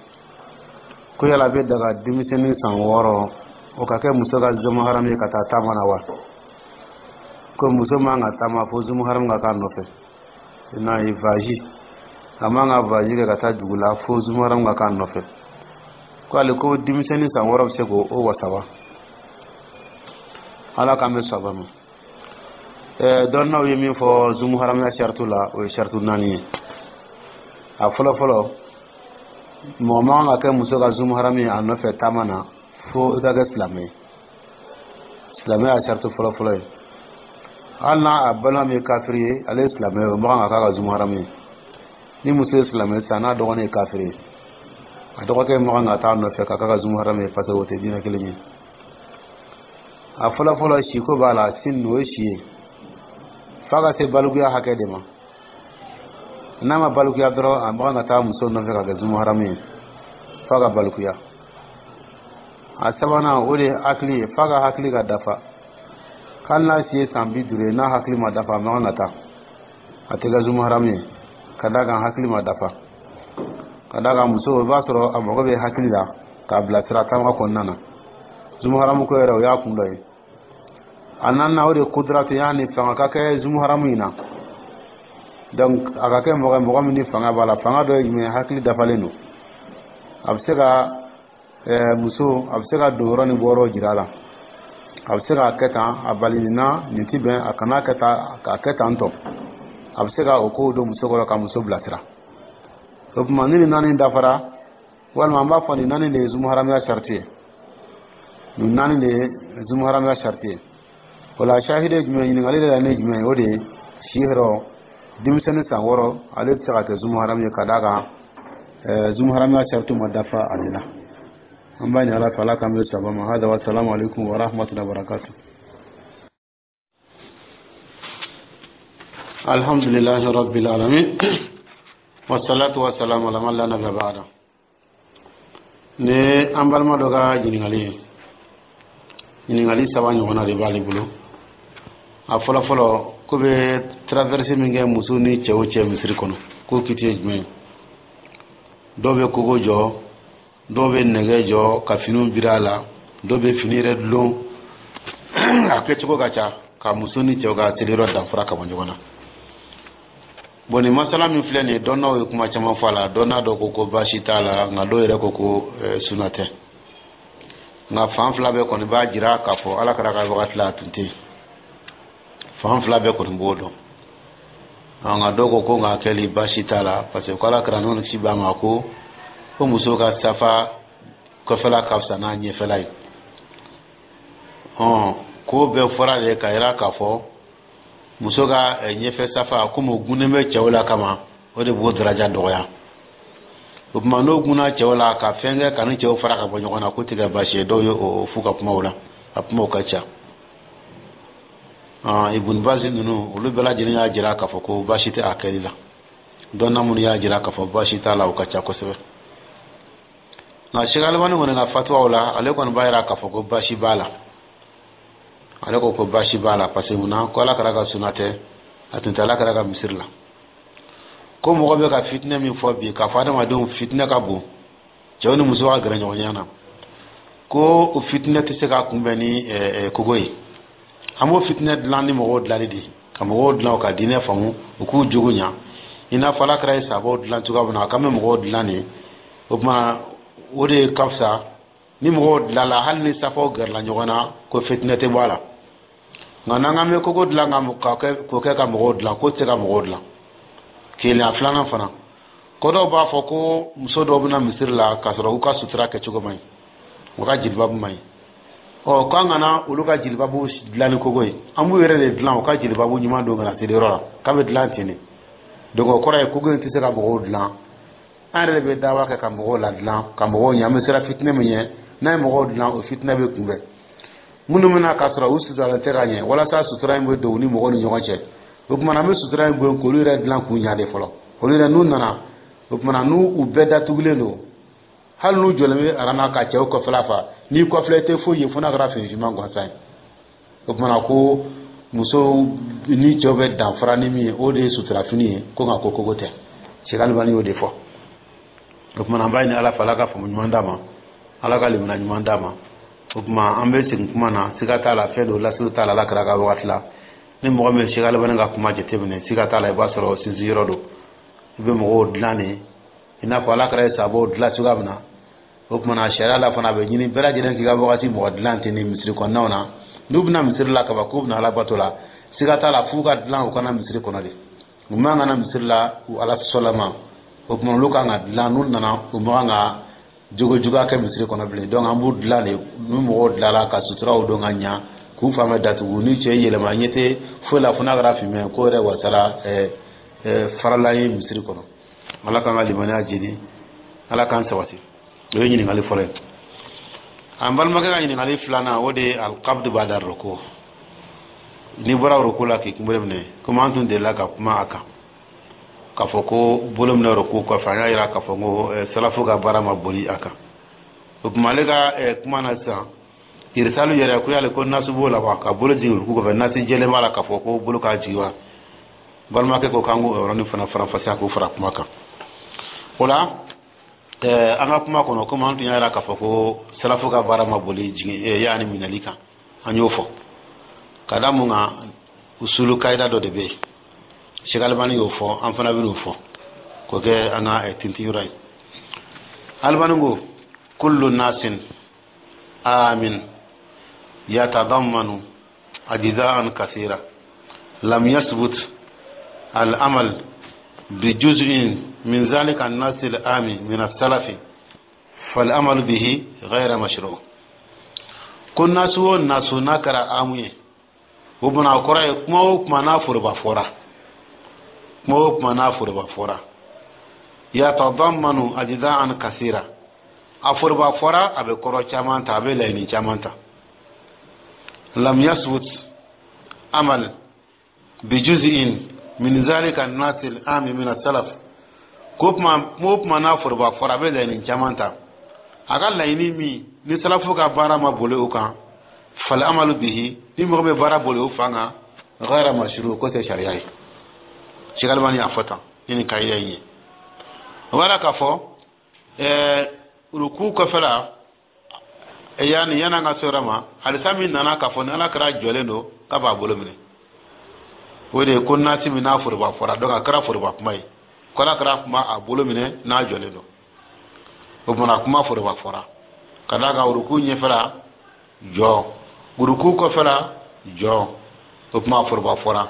ko yala a bɛ daga denmisɛnnin san 6, o ka kɛ muso ka zumuharamu ye ka taa taama na wa? Ko muso man ka taama fo zumuharamu ka k'a nɔfɛ. N'a ye voyage, a man ka voyage kɛ ka taa dugu la fo zumuharamu ka k'a nɔfɛ. Ko ale ko denmisɛnnin san 6 bɛ se k'o wasa wa? Ala k'an bɛ saba ma. Dɔnnaw ye min fɔ zumuharamuya saritu la, o ye saritu naani ye. A fɔlɔ fɔlɔ, mɔgɔ man kan ka kɛ muso ka zumuharamu ye a nɔfɛ taama na fo i ka kɛ silamɛ ye. Silamɛ y'a saritu fɔlɔ fɔlɔ ye. Hali n'a a balima min ye kafiri ye, ale ye silamɛ ye, o man kan ka k'a ka zumuharamu ye. Ni muso ye silamɛ sisan, n'a dɔgɔnin ye kafiri ye, a dɔgɔkɛ man kan ka taa nɔfɛ ka k'a ka zumuharamu ye, parce que o tɛ diinɛ kelen ye. A fɔlɔ fɔlɔ, siko b'a la. Sin, o ye si ye, f'a ka se balikuya hakɛ de ma. N'a ma balikuya dɔrɔn, a man kan ka taa muso nɔfɛ ka kɛ zumuharamu ye, f'a ka balikuya. A sabanan, o de ye hakili ye, f'a ka hakili ka dafa. Hali n'a si ye san 50 ye, n'a hakili ma dafa, a man kan ka taa, a tɛ kɛ zumuharamu ye, ka d'a kan hakili ma dafa. Ka d'a kan muso, i b'a sɔrɔ a mago bɛ hakili la k'a bilasira taama kɔnɔna na. Zumuharamu ko yɛrɛ, o y'a kun dɔ ye. A naaninan, o de ye kudratu, yaani fanga ka kɛ zumuharamu in na. Donc a ka kɛ mɔgɔ mɔgɔ min ni fanga b'a la. Fanga dɔ ye jumɛn ye? Hakili dafalen don, a bɛ se ka muso, a bɛ se ka don yɔrɔ ni bɔ yɔrɔ jira a la, a bɛ se k'a kɛ tan, a bali nin na, nin ti bɛn, a kana kɛ tan, k'a kɛ tan tɔ. A bɛ se ka o kow don muso kɔrɔ ka muso bilasira. O tuma, ni nin naani dafara, walima an b'a fɔ nin naani de ye zumuharamuya sariti ye, nin naani de ye zumuharamuya sariti ye. O la, sahidi ye jumɛn? Ɲininkali de la ne jumɛn ye? O de ye si yɔrɔ. Denmisɛnnin san 6, ale tɛ se ka kɛ zumuharamu ye, ka d'a kan zumuharamuya sariti ma dafa ale la. An b'a ɲini Ala fɛ, Ala k'an bɛ saba ma. Hada wa salamu alaikum wa rahmatullahi wa barakatuh. Alhamdulillahi rabbil alamin, wassalatu wassalamu ala man la nabiyya ba'da. Ni an balima dɔ ka ɲininkali ye, ɲininkali saba ɲɔgɔnna de b'ale bolo. A fɔlɔ fɔlɔ, ko bɛ traverse min kɛ muso ni cɛw cɛ misiri kɔnɔ, k'o kiti ye jumɛn ye? Dɔw bɛ kogo jɔ, dɔw bɛ nɛgɛ jɔ ka finiw biri a la, dɔw bɛ fini yɛrɛ dulon. A kɛcogo ka ca ka muso ni cɛw ka seliyɔrɔ danfara ka bɔ ɲɔgɔn na. Bon, nin masala min filɛ nin ye, dɔnnaw ye kuma caman fɔ a la. Dɔnna dɔ ko ko baasi t'a la, nka dɔw yɛrɛ ko ko suna tɛ. Nka fan fila bɛɛ kɔni b'a jira k'a fɔ Ala kɛra ka wagati la, a tun tɛ yen. Fan fila bɛɛ kɔni b'o dɔn. Nka dɔw ko ko nka kɛli baasi t'a la, parce que ko Ala kira, nɔnɔ kisi b'a ma, ko muso ka safa kɔfɛla ka fisa n'a ɲɛfɛla ye. Ɔn, ko bɛɛ fɔra de ka yira k'a fɔ muso ka ɲɛfɛ safa, komi o gunnen bɛ cɛw la kama, o de b'o daraja dɔgɔya. O tuma n'o gunna cɛw la ka fɛn kɛ ka ni cɛw fara ka bɔ ɲɔgɔn na, k'o tɛ kɛ baasi ye. Dɔw ye o f'u ka kumaw la, a kumaw ka ca. Ibun Bazi ninnu, olu bɛɛ lajɛlen y'a jira k'a fɔ ko baasi tɛ a kɛli la. Dɔnna minnu y'a jira k'a fɔ baasi t'a la, o ka ca kosɛbɛ. Nka Sɛki Alimani kɔni ka fatuwaw la, ale kɔni b'a jira k'a fɔ ko baasi b'a la. Ale ko ko baasi b'a la, parce que munna? Ko Ala kira ka suna tɛ, a tun tɛ Ala kira ka misiri la. Ko mɔgɔ bɛ ka fitinɛ min fɔ bi, k'a fɔ adamadenw fitinɛ ka bon, cɛw ni musow ka gɛrɛ ɲɔgɔnya na, ko o fitinɛ tɛ se ka kunbɛn ni kogo ye. An b'o fitinɛ dilan ni mɔgɔw dilanli de, ka mɔgɔw dilan u ka diinɛ faamu, u k'u jogo ɲa, i n'a fɔ Ala kira ye sabaw dilan cogoya min na. K'an bɛ mɔgɔw dilan de, o tuma o de ka fisa ni mɔgɔw dilanla, hali ni safaw gɛrɛla ɲɔgɔn na, ko fitinɛ tɛ bɔ a la. Nka n'an k'an bɛ kogo dilan k'o kɛ ka mɔgɔw dilan, k'o tɛ se ka mɔgɔw dilan. Kelen a filanan fana, ko dɔw b'a fɔ ko muso dɔw bɛna misiri la k'a sɔrɔ u ka sutura kɛcogo man ɲi, u ka jilibabu man ɲi. Ɔ, k'an kana olu ka jilibabu dilan ni kogo ye, an b'u yɛrɛ de dilan u ka jilibabu ɲuman don ka na seliyɔrɔ la, k'a bɛ dilan ten de. Donc o kɔrɔ ye kogo in tɛ se ka mɔgɔw dilan. An yɛrɛ de bɛ dawa kɛ ka mɔgɔw ladilan, ka mɔgɔw ɲɛ. An bɛ siran fitinɛ min ɲɛ, n'a ye mɔgɔw dilan, o fitinɛ bɛ kunbɛn. Minnu bɛna k'a sɔrɔ u suturalen tɛ ka ɲɛ, walasa sutura in bɛ don u ni mɔgɔw ni ɲɔgɔn cɛ, o tuma an bɛ sutura in bɔ yen k'olu yɛrɛ dilan k'u ɲɛ de fɔlɔ. Olu yɛrɛ n'u nana, o tuma n'u u bɛɛ datugulen don, hali n'u jɔlen bɛ aran na ka cɛw kɔfɛla fa, n'i kɔfilɛ, i tɛ foyi ye fo n'a kɛra fini finman gansan ye. O tuma ko musow ni cɛw bɛ danfara ni min ye, o de ye suturafini ye. Ko nka ko kogo tɛ. Sɛki Alimani y'o de fɔ. O tuma an b'a ɲini Ala fɛ, Ala ka faamu ɲuman d'a ma, Ala ka limaniya ɲuman d'a ma. O tuma an bɛ segin kuma na, siga t'a la, fɛn dɔ lasiriw t'a la Ala kira ka wagati la. Ni mɔgɔ min ye Sɛki Alimani ka kuma jateminɛ, siga t'a la, i b'a sɔrɔ sinsin yɔrɔ don. I bɛ mɔgɔw dilan de i n'a fɔ Ala kira ye sabaw dilan cogoya min na. O tuma na sariya la fana, a bɛ ɲini bɛɛ lajɛlen k'i ka wagati mɔgɔ dilan ten ni misiri kɔnɔnaw na. N'u bɛna misiri la kaban k'u bɛna Ala bato la, siga t'a la, f'u ka dilan u kana misiri kɔnɔ de. U man ka na misiri la u Ala sɔsɔlama. O tuma olu kan ka dilan, n'u nana, u man kan ka jogo juguya kɛ misiri kɔnɔ bilen. Donc an b'u dilan de. Ni mɔgɔw dilanla ka suturaw don ka ɲa, k'u fan bɛɛ datugu, ni cɛ yɛlɛma, ɲɛ tɛ foyi la fo n'a kɛra finmɛ ko yɛrɛ wasara farala ye misiri kɔnɔ. Ala k'an ka limaniya jidi, Ala k'an sabati. O ye ɲininkali fɔlɔ ye. An balimakɛ ka ɲininkali filanan, o de ye alqabdu bada ruku, n'i bɔra ruku la k'i kunbere minɛ. Komi an tun delila ka kuma a kan k'a fɔ ko bolo minɛ ruku kɔfɛ, an y'a yira k'a fɔ ko salafu ka baara ma boli a kan. O tuma ale ka kuma na sisan, irisalu yɛrɛ ko yali ko nasu b'o la wa, ka bolo jigin ruku kɔfɛ, nasi jɛlen b'a la k'a fɔ ko bolo k'a jigin wa? Balimakɛ ko k'an k'o yɔrɔnin fana faranfasiya, k'o fara kuma kan. O la an ka kuma kɔnɔ, komi an tun y'a yira k'a fɔ ko salafu ka baara ma boli jigin yaani minɛli kan, an y'o fɔ ka da mun kan? Usulu kayida dɔ de bɛ yen, Sɛki Alimani y'o fɔ, an fana bɛn'o fɔ k'o kɛ an ka tintin yɔrɔ ye. Alimani ko kullu nasin amin yatadammanu ajza'an kasira lam yasbut al-amal bijuz'in min zalika an-nas al-ami min as-salafi fal-amalu bihi ghayra mashru'. Ko nasu o nasu n'a kɛra amu ye, o bana kɔrɔ ye kuma o kuma n'a foroba fɔra, kuma o kuma n'a foroba fɔra, yatadammanu ajza'an kasira, a foroba fɔra, a bɛ kɔrɔ caman ta, a bɛ laɲini caman ta. Lam yasbut amal bijuz'in min zalika an-nas al-ami min as-salaf, ko kuma o kuma n'a foroba fɔra, a bɛ laɲini caman ta. A ka laɲini min ni salafu ka baara ma boli o kan, fal amalu bihi, ni mɔgɔ bɛ baara boli o fan kan, ghayra mashru, ko tɛ sariya ye. Sɛki Alimani y'a fɔ tan ni nin kayida in ye. O b'a la k'a fɔ ruku kɔfɛ la, yanni yan'an ka se yɔrɔ ma, hadisa min nana k'a fɔ ni Ala kira jɔlen don k'a b'a bolo minɛ, o de ye ko nasi min n'a foroba fɔra. Donc a kɛra foroba kuma ye, ko Ala kira kuma a bolo minɛ n'a jɔlen don. O tuma kuma foroba fɔra ka d'a kan ruku ɲɛfɛla jɔ, ruku kɔfɛla jɔ, o tuma foroba fɔra.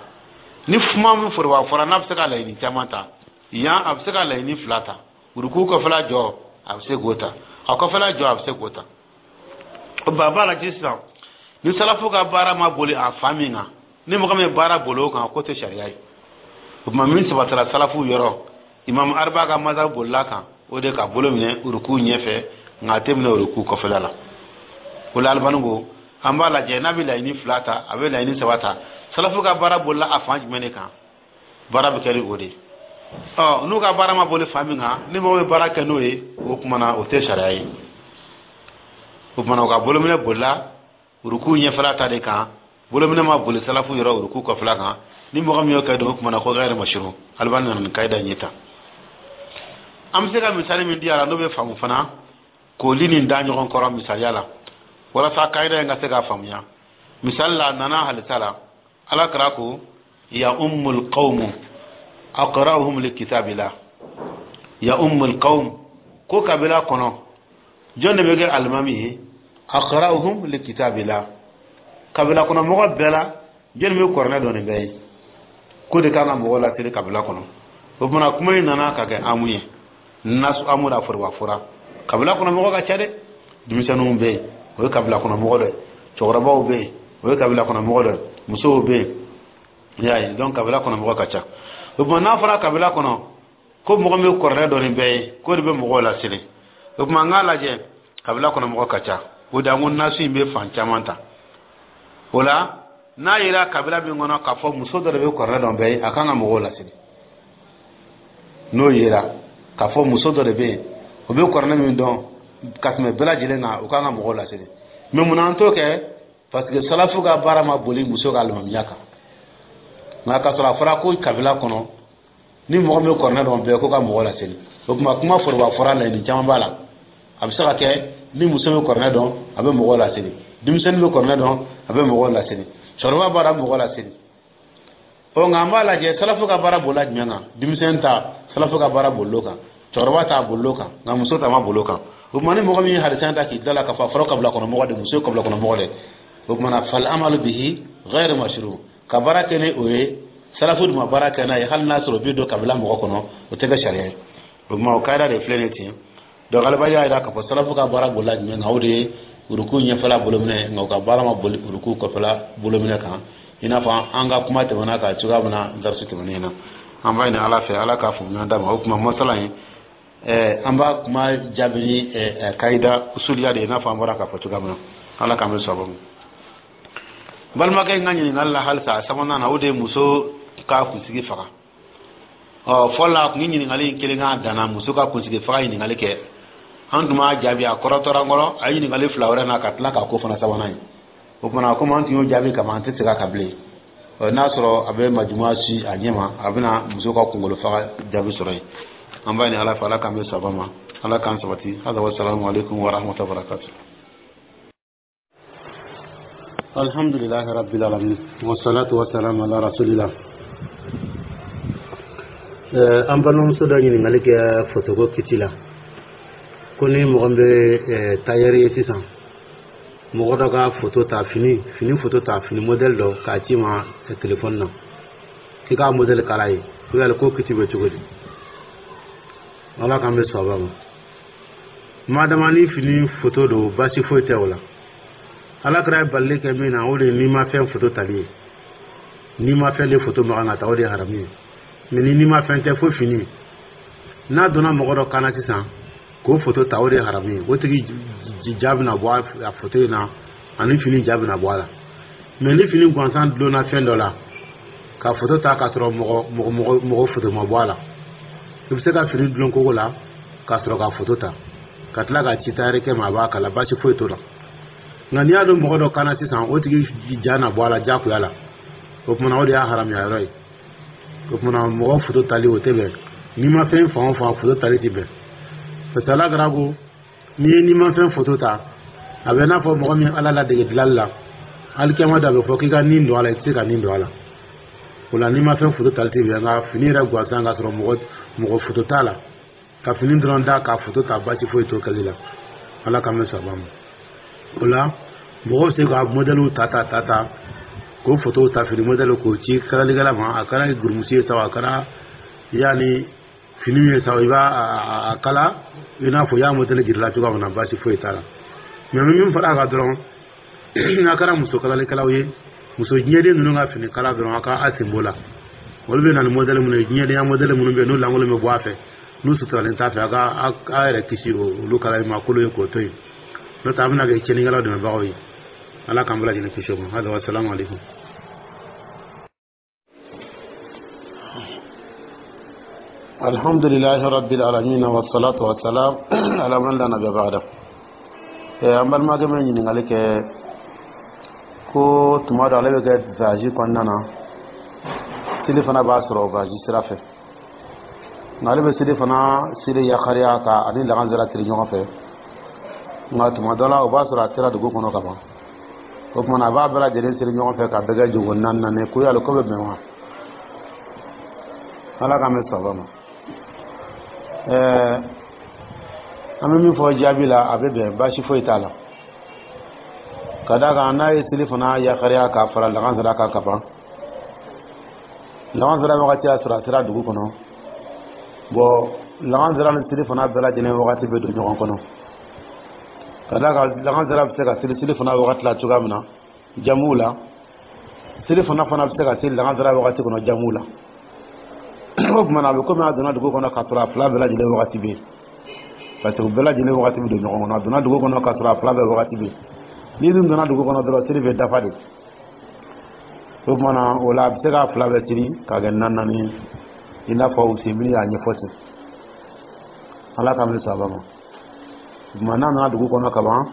Ni kuma min foroba fɔra, n'a bɛ se ka laɲini caman ta, yan a bɛ se ka laɲini fila ta. Uruku kɔfɛla jɔ, a bɛ se k'o ta, a kɔfɛla jɔ, a bɛ se k'o ta. O ba b'a lajɛ sisan, ni salafu ka baara ma boli a fan min kan, ni mɔgɔ min ye baara boli o kan, k'o tɛ sariya ye. O tuma, min sabatara salafu yɔrɔ, imam arba ka mazhab bolila kan, o de ka bolo minɛ uruku ɲɛfɛ, nka a tɛ minɛ uruku kɔfɛla la. O la, Alibani ko an b'a lajɛ, n'a bɛ laɲini fila ta, a bɛ laɲini saba ta, salafu ka baara bolila a fan jumɛn de kan, baara bɛ kɛ ni o de ye. Ɔ, n'u ka baara ma boli fan min kan, ni mɔgɔ bɛ baara kɛ n'o ye, o tuma na o tɛ sariya ye. O tuma na, u ka bolominɛ bolila uruku ɲɛfɛla ta de kan, bolominɛ ma boli salafu yɔrɔ uruku kɔfɛla kan. Ni mɔgɔ min y'o kɛ don, o tuma na ko gɛrɛ mashuru. Alibani nana ni kayida in ye tan. An bɛ se ka misali min di a la, n'o bɛ faamu fana, k'oli nin da ɲɔgɔn kɔrɔ misaliya la, walasa kayida in ka se ka faamuya. Misali la, a nana halisa la, Ala kira ko: ya ummul qawmu aqra'uhum li kitabillah. Ya ummul qawm, ko kabila kɔnɔ, jɔn de bɛ kɛ alimami ye? Aqra'uhum li kitabillah. Kabila kɔnɔ mɔgɔ bɛɛ la, jɔn bɛ kuranɛ dɔn nin bɛɛ ye, ko de kan ka mɔgɔw laseli kabila kɔnɔ. O tuma, kuma in nana ka kɛ amu ye, nasu amu la, foroba fɔra. Kabila kɔnɔ mɔgɔ ka ca dɛ. Denmisɛnninw bɛ yen, o ye kabila kɔnɔ mɔgɔ dɔ ye. Cɛkɔrɔbaw bɛ yen, o ye kabila kɔnɔ mɔgɔ dɔ ye. Musow bɛ yen, i y'a ye. Donc kabila kɔnɔ mɔgɔ ka ca. O tuma, n'a fɔra kabila kɔnɔ ko mɔgɔ min bɛ kuranɛ dɔn nin bɛɛ ye, k'o de bɛ mɔgɔw laseli, o tuma an k'a lajɛ, kabila kɔnɔ mɔgɔ ka ca. O de an ko nasu in bɛ fan caman ta. O la, n'a yera kabila min kɔnɔ k'a fɔ muso dɔ de bɛ kuranɛ dɔn bɛɛ ye, a kan ka mɔgɔw laseli, n'o yera k'a fɔ muso dɔ de bɛ yen, o bɛ kuranɛ min dɔn ka tɛmɛ bɛɛ lajɛlen kan, o kan ka mɔgɔw laseli. Mais munna an t'o kɛ? Parce que salafu ka baara ma boli muso ka alimamiya kan. Nka k'a sɔrɔ a fɔra ko kabila kɔnɔ, ni mɔgɔ min bɛ kuranɛ dɔn bɛɛ, ko ka mɔgɔ laseli. O tuma, kuma foroba fɔra, laɲini caman b'a la. A bɛ se ka kɛ ni muso bɛ kuranɛ dɔn, a bɛ mɔgɔw laseli. Denmisɛnnin bɛ kuranɛ dɔn, a bɛ mɔgɔw laseli. Cɛkɔrɔba b'a dɔn, a bɛ mɔgɔw laseli. Ɔ, nka an b'a lajɛ, salafu ka baara bolila jumɛn kan? Denmisɛnnin ta, salafu ka baara bolil'o kan. Cɛkɔrɔba ta bolil'o kan, nka muso ta ma bol'o kan. O tuma, ni mɔgɔ min ye hadisa ta k'i da la k'a fɔ a fɔra kabila kɔnɔ mɔgɔ de, muso ye kabila kɔnɔ mɔgɔ de, o tuma na fal amalu bihi ghayr mashru. Ka baara kɛ ni o ye, salafu dun ma baara kɛ n'a ye, hali n'a sɔrɔ o bɛ don kabila mɔgɔ kɔnɔ, o tɛ kɛ sariya ye. O tuma, o kayida de filɛ nin ye ten. Donc Alibani y'a jira k'a fɔ salafu ka baara bolila jumɛn kan? O de ye uruku ɲɛfɛla bolominɛ, nka u ka baara ma boli uruku kɔfɛla bolominɛ kan, i n'a fɔ an ka kuma tɛmɛna ka cogoya min na darisu tɛmɛnen na. An b'a ɲini Ala fɛ, Ala k'a faamuya d'a ma. O tuma, masala in, an b'a kuma jaabi ni kayida usuliya de ye, i n'a fɔ an bɔra k'a fɔ cogoya min na. Ala k'an bɛ sababu ma. Balimakɛ in ka ɲininkali la halisa, a sabanan na, o de ye muso ka kunsigi faga. Ɔ, fɔlɔ la, a tun ye ɲininkali in kelen k'a danna muso ka kunsigi faga ɲininkali kɛ, an tun b'a jaabi. A kɔrɔtɔra n kɔrɔ, a ye ɲininkali fila wɛrɛ na ka tila k'a ko fana sabanan ye. O tuma, komi an tun y'o jaabi kaban, an tɛ segin a kan bilen. Ɔ, n'a sɔrɔ a bɛ majuma si a ɲɛ ma, a bɛna muso ka kunkolo faga jaabi sɔrɔ yen. An b'a ɲini Ala fɛ, Ala k'an bɛ saba ma, Ala k'an sabati. Hada wa salamu alaikum wa rahmatullahi wa barakatuh. Alhamdulillahi rabbil alamin, wassalatu wassalamu ala rasulillah. An balimamuso dɔ ɲininkali kɛ fotoko kiti la, ko ni mɔgɔ min bɛ tayɛri ye sisan, mɔgɔ dɔ ka foto ta, fini foto ta, fini modèle dɔ k'a ci ma telefɔni na, k'i k'a modèle kala ye, ko yali ko kiti bɛ cogo di? Ala k'an bɛ sɔn ma. Madama ni fini foto don, baasi foyi tɛ o la. Ala kɛra ye balili kɛ min na, o de ye n'i ma fɛn foto tali ye. N'i ma fɛn de foto makan ka ta, o de ye haramu ye. Mais ni n'i ma fɛn tɛ, fo fini, n'a donna mɔgɔ dɔ kan na sisan k'o foto ta, o de ye haramu ye. O tigi ja bɛna bɔ a foto in na, ani fini ja bɛna bɔ a la. Mais ni fini gansan dulonna fɛn dɔ la ka foto ta k'a sɔrɔ mɔgɔ foto ma bɔ a la, i bɛ se ka fini dulon kogo la ka sɔrɔ ka foto ta ka tila ka ci tayɛrikɛ ma, a b'a kala, baasi foyi t'o la. Nka n'i y'a don mɔgɔ dɔ kan na sisan, o tigi ja na bɔ a la diyagoya la. O kumana, o de y'a haramuya yɔrɔ ye. O kumana, mɔgɔ foto tali, o tɛ bɛn. N'i ma fɛn fan o fan foto tali tɛ bɛn, parce que Ala kɛra ko n'i ye n'i ma fɛn foto ta, a bɛ n'a fɔ mɔgɔ min Ala ladege dilali la, alikiyama da, a bɛ fɔ k'i ka nin don a la, i tɛ se ka nin don a la. O la, n'i ma fɛn foto tali tɛ bɛn. Nka fini yɛrɛ gansan, k'a sɔrɔ mɔgɔ foto t'a la, ka fini dɔrɔn da k'a foto ta, baasi foyi t'o kɛli la. Ala k'an bɛ saba ma. O la, mɔgɔw bɛ se ka modɛliw ta ta ta ta. K'o fotow ta, fini modèle, k'o ci kalalikɛla ma. A kɛra gurumusi ye sa, a kɛra yanni fini min ye sa, i b'a a kala i n'a fɔ i y'a modèle jirila cogoya min na, baasi foyi t'a la. Mais n bɛ min fara a kan dɔrɔn, n'a kɛra muso kalalikɛlaw ye, muso diɲɛden ninnu ka fini kala dɔrɔn, a ka a sen b'o la. Olu bɛ na ni modèle minnu ye, diɲɛdenya modèle minnu bɛ yen, n'u lankolon bɛ bɔ a fɛ, n'u suturalen t'a fɛ, a ka a yɛrɛ kisi olu kalali ma. Kolo ye k'o to yen, n'o tɛ a bɛna kɛ tiɲɛnikɛlaw dɛmɛbagaw ye. Ala k'an bɛɛ lajɛlen kisi o ma. Hada wa salamu aleykum. Alhamdulilahi rabbil alamin, wa salatu wa salam ala man la nabiyya ba'da. An balimakɛ min ɲininkali kɛ ko tuma dɔ ale bɛ kɛ voyage kɔnɔna na, seli fana b'a sɔrɔ voyage sira fɛ, nka ale bɛ seli fana seli yakariya ka ani lagansara seli ɲɔgɔn fɛ, nka tuma dɔ la o b'a sɔrɔ a sera dugu kɔnɔ ka ban. O tuma na a b'a bɛɛ lajɛlen seli ɲɔgɔn fɛ ka bɛɛ kɛ jogo naani naani. Ko yali ko bɛ bɛn wa? Ala k'an bɛ saba ma. An bɛ min fɔ jaabi la, a bɛ bɛn, baasi foyi t'a la, ka d'a kan n'a ye seli fana yakariya k'a fara lagansara kan ka ban, lagansara wagati y'a sɔrɔ a sera dugu kɔnɔ. Bɔn, lagansara ni seli fana bɛɛ lajɛlen wagati bɛ don ɲɔgɔn kɔnɔ, ka d'a kan lagansara bɛ se ka seli seli fana wagati la cogoya min na jamuw la, seli fana bɛ se ka seli lagansara wagati kɔnɔ jamuw la. O tuma na a bɛ komi a donna dugu kɔnɔ k'a sɔrɔ a fila bɛɛ lajɛlen wagati bɛ yen, parce que u bɛɛ lajɛlen wagati bɛ don ɲɔgɔn kɔnɔ. A donna dugu kɔnɔ k'a sɔrɔ a fila bɛɛ wagati bɛ yen. N'i dun donna dugu kɔnɔ dɔrɔn, seli bɛ dafa de. O tuma na o la a bɛ se k'a fila bɛɛ siri k'a kɛ naani naani, i n'a fɔ Usemini y'a ɲɛfɔ ten. Ala k'an bɛ saba ma. O tuma n'a nana dugu kɔnɔ ka ban,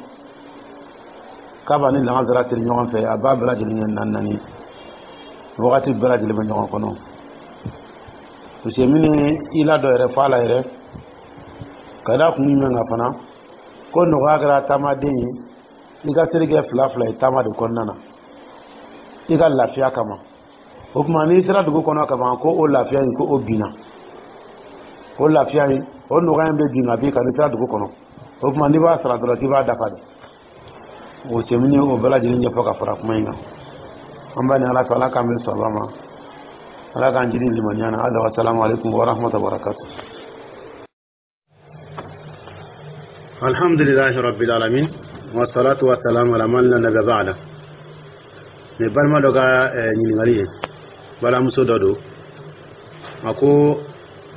k'a b'a ni lagansara siri ɲɔgɔn fɛ, a b'a bɛɛ lajɛlen kɛ naani naani, wagati bɛɛ lajɛlen bɛ ɲɔgɔn kɔnɔ. Usemini i la dɔ yɛrɛ fɔ a la yɛrɛ, ka da kun jumɛn kan fana, ko nɔgɔya kɛra taamaden ye i ka seli kɛ fila fila ye taama de kɔnɔna na i ka lafiya kama. O tuma n'i sera dugu kɔnɔ ka ban, ko o lafiya in, ko o binna, o lafiya in, o nɔgɔya in bɛ bin ka bin kan n'i sera dugu kɔnɔ. O tuma n'i b'a sara dɔrɔn, k'i b'a dafa de. O Usemini o bɛɛ lajɛlen ɲɛfɔ ka fara kuma in kan. An b'a ni Ala fɛ, Ala k'an bɛn sawaba ma, Ala k'an jiri limaniya na. Hada wa salamu aleykum wa rahmatullahi wa barakatuh. Alhamdulilahi rabbil alamin, wa salatu wa salam ala man la nabiyya ba'da. Nin balima dɔ ka ɲininkali ye, balimamuso dɔ don, a ko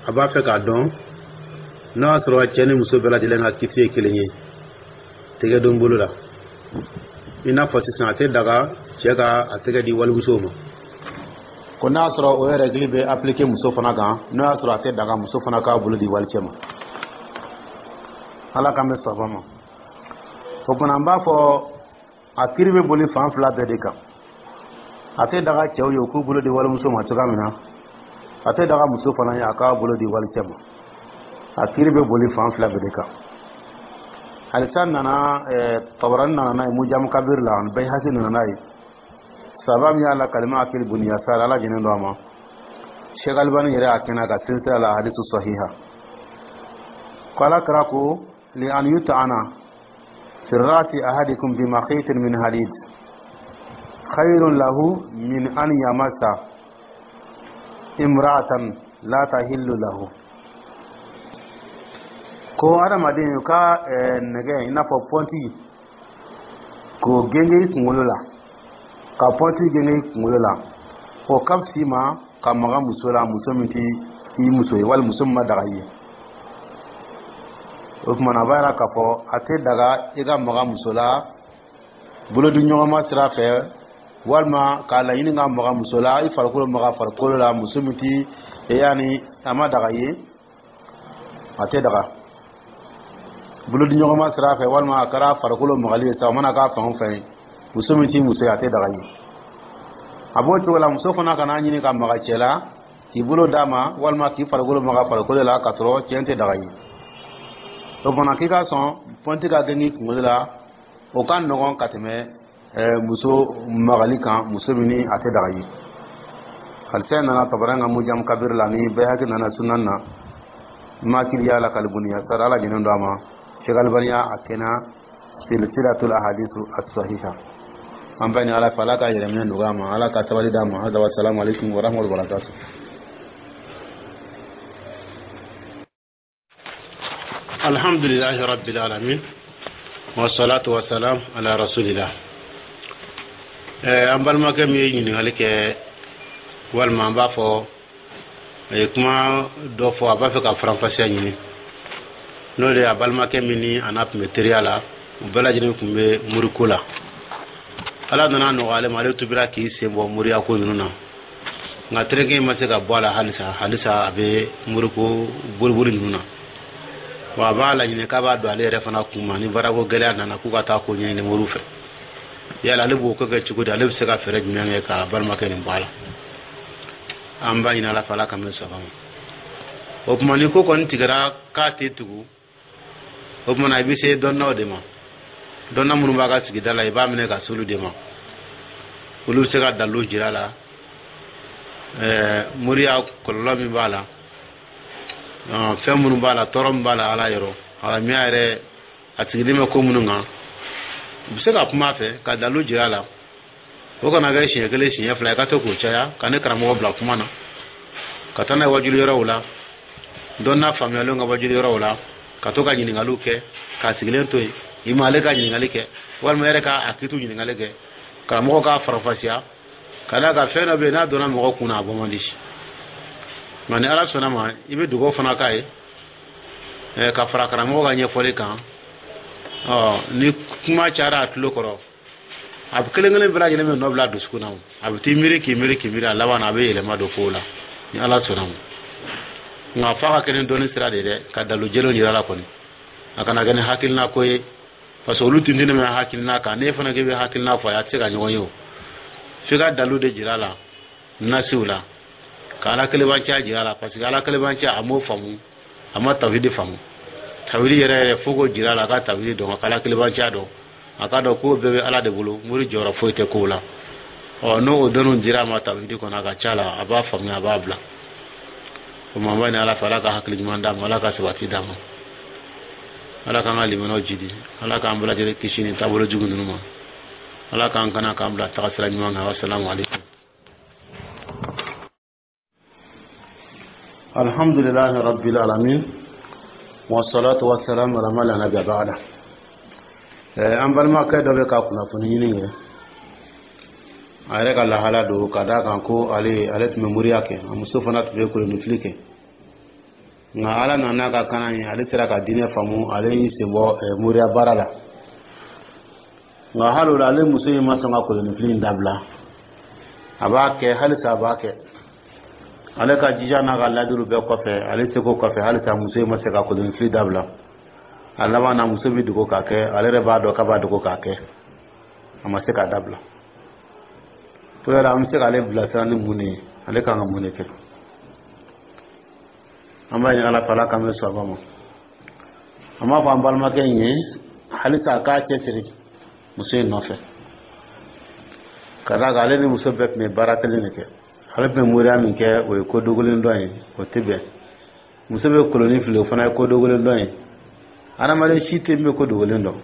a b'a fɛ k'a dɔn n'o y'a sɔrɔ cɛ ni muso bɛɛ lajɛlen ka kiti ye kelen ye tɛgɛ don bolo la. I n'a fɔ sisan a tɛ daga cɛ ka a tɛgɛ di walimusow ma, ko n'a y'a sɔrɔ o règle bɛ appliquer muso fana kan, n'o y'a sɔrɔ a tɛ daga muso fana k'a bolo di walicɛ ma. Ala k'an bɛ saba ma. O tuma an b'a fɔ a kiri bɛ boli fan fila bɛɛ de kan. A tɛ daga cɛw ye u k'u bolo di walimuso ma cogoya min na, a tɛ daga muso fana ye a k'a bolo di walicɛ ma. A kiri bɛ boli fan fila bɛɛ de kan. Halisa nana Tabarani nana n'a ye Mujamu Kabir la, ani Bayhaqi nana n'a ye. Saba min y'a la kalima Akil bun Yasar, Ala jɛnen don a ma. Sheikh Albani yɛrɛ y'a kɛnɛ ka silsila la hadisu sahiha, ko Ala kira ko li an yut'ana fi ra'si ahadikum bi makhitin min hadid khayrun lahu min an yamassa imra'atan la tahillu lahu. Ko adamaden ka nɛgɛ, i n'a fɔ pɔnti, k'o genge i kunkolo la, ka pɔnti genge i kunkolo la, o ka fisa i ma ka maga muso la, muso min tɛ i muso ye, wali muso min ma daga i ye. O tuma na a b'a yira k'a fɔ a tɛ daga i ka maga muso la bolodiɲɔgɔnma sira fɛ, walima k'a laɲini ka maga muso la, i farikolo maga farikolo la, muso min tɛ yanni a ma daga i ye. A tɛ daga bolodiɲɔgɔnma sira fɛ, walima a kɛra farikolo magali ye sa, o mana k'a fan o fɛn ye, muso min t'i muso ye, a tɛ daga i ye. A b'o cogo la, muso fana kana ɲini ka maga cɛ la k'i bolo d'a ma, walima k'i farikolo maga farikolo la, k'a sɔrɔ cɛ tɛ daga i ye. O fana k'i ka sɔn pɔnti ka genge i kunkolo la, o ka nɔgɔn ka tɛmɛ muso magali kan, muso min ni a tɛ daga i ye. Halisa nana Tabarani ka Mujam Kabir la, ni Bayhaqi nana Sunan na, Makili y'a la kalibuni Yasar, Ala jɛnen don a ma. Sheikh Albani y'a kɛnɛ silsilatul ahadisu as-sahiha. An b'a ɲini Ala fɛ, Ala ka yɛrɛminɛ nɔgɔya ma, Ala ka sabali d'a ma. Hada wa salamu aleykum wa rahmatullahi wa barakatuh. Alhamdulillahi rabbil alamin wa salatu wa salam ala rasulillah. An balimakɛ min ye ɲininkali kɛ, walima an b'a fɔ a ye kuma dɔ fɔ, a b'a fɛ ka faranfasiya ɲini, n'o de ye a balimakɛ min ni a n'a tun bɛ teriya la, u bɛɛ lajɛlen tun bɛ muriko la. Ala nana nɔgɔya ale ma, ale tubira k'i sen bɔ moriya ko ninnu na, nka tereke in ma se ka bɔ a la halisa. Halisa a bɛ muriko boliboli ninnu na. Wa a b'a laɲini k'a b'a don ale yɛrɛ fana kun ma, ni baarako gɛlɛya nana, k'u ka taa ko ɲɛɲini moriw fɛ. Yala ale b'o ko kɛ cogo di? Ale bɛ se ka fɛɛrɛ jumɛn kɛ ka balimakɛ nin bɔ a la? An b'a ɲini Ala fɛ, Ala ka mɛn sɔgɔma. O tuma, ni ko kɔni tigɛra k'a tɛ tugu, o tuma na i bɛ se dɔnnaw de ma, dɔnna minnu b'a ka sigida la, i b'a minɛ ka s'olu de ma. Olu bɛ se ka dalilu jira a la, moriya kɔlɔlɔ min b'a la, fɛn minnu b'a la, tɔɔrɔ min b'a la Ala yɔrɔ, alamiya yɛrɛ a sigilen bɛ ko minnu kan. U bɛ se ka kuma a fɛ ka dalilu jira a la. O kana kɛ siɲɛ kelen, siɲɛ fila, i ka to k'o caya, ka ne karamɔgɔ bila kuma na, ka taa n'a ye wajuli yɔrɔw la, dɔnna faamuyalenw ka wajuli yɔrɔw la, ka to ka ɲininkaliw kɛ, k'a sigilen to yen. I ma ale ka ɲininkali kɛ, walima yɛrɛ k'a kitu ɲininkali kɛ, karamɔgɔ k'a faranfasiya. Ka d'a kan fɛn dɔ bɛ yen, n'a donna mɔgɔ kun na, a bɔ man di. Nka ni Ala sɔnna ma, i bɛ dugawu fana k'a ye ka fara karamɔgɔ ka ɲɛfɔli kan. Ɔ ni kuma cayara a tulo kɔrɔ, a bɛ kelen kelen bɛɛ lajɛlen bɛ nɔ bila a dusukun na. A bɛ t'i miiri, k'i miiri, k'i miiri, a laban na a bɛ yɛlɛma don kow la, ni Ala sɔnna ma. Nka f'a ka kɛ ni dɔnni sira de ye dɛ, ka dalu jɛlenw jira a la kɔni. A kana kɛ ni hakilina ko ye, parce que olu tintinnen bɛ hakilina kan. N'e fana k'i bɛ hakilina fɔ a ye, a tɛ se ka ɲɔgɔn ye. O f'i ka dalu de jira a la, nasiw la, ka Ala kelebanciya jira a la, parce que Ala kelebanciya, a m'o faamu, a ma tawhidi faamu. Tawhidi yɛrɛ yɛrɛ, fo k'o jira a la, a ka tawhidi dɔn, ka Ala kelebanciya dɔn, a ka dɔn ko bɛɛ bɛ Ala de bolo, mori jɔyɔrɔ foyi tɛ kow la. Ɔ n'o dɔnniw dira a ma tawhidi kɔnɔ, a ka ca la a b'a faamuya, a b'a bila. O tuma, an b'a ɲini Ala fɛ, Ala ka hakili ɲuman d'a ma, Ala ka sabati d'a ma, Ala k'an ka limanaw jidi, Ala k'an bɛɛ lajɛlen kisi nin taabolo jugu ninnu ma, Ala k'an kana k'an bila taga sira ɲuman kan. Wasalamu aleykum. Alhamdulillahi rabbil alamin wassalatu wassalamu ala man la nabiyya ba'da. An balimakɛ dɔ bɛ ka kunnafoni ɲini kɛ, a yɛrɛ ka lahala don, ka d'a kan ko ale tun bɛ moriya kɛ, a muso fana tun bɛ kolonifili kɛ. Nka Ala nana ka kana ye, ale sera ka diinɛ faamu, ale y'i sen bɔ moriya baara la. Nka hali o la, ale muso in ma sɔn ka kolonifili in dabila, a b'a kɛ halisa, a b'a kɛ. Ale ka jija n'a ka ladiriw bɛɛ kɔfɛ, ale seko kɔfɛ, halisa muso in ma se ka kolonifili dabila. A laban na, muso bɛ dogo k'a kɛ, ale yɛrɛ b'a dɔn k'a b'a dogo k'a kɛ, a ma se k'a dabila. Ko yala an bɛ se k'ale bilasira ni mun de ye? Ale kan ka mun de kɛ? An b'a ɲini Ala fɛ, Ala k'an bɛ sɔn ma. An b'a fɔ an balimakɛ in ye halisa a k'a cɛsiri muso in nɔfɛ, ka d'a kan ale ni muso bɛɛ tun bɛ baara kelen de kɛ. Ale tun bɛ moriya min kɛ, o ye ko dogolen dɔn ye, o tɛ bɛn. Muso bɛ koloni fili, o fana ye ko dogolen dɔn ye. Adamaden si tɛ min bɛ ko dogolen dɔn.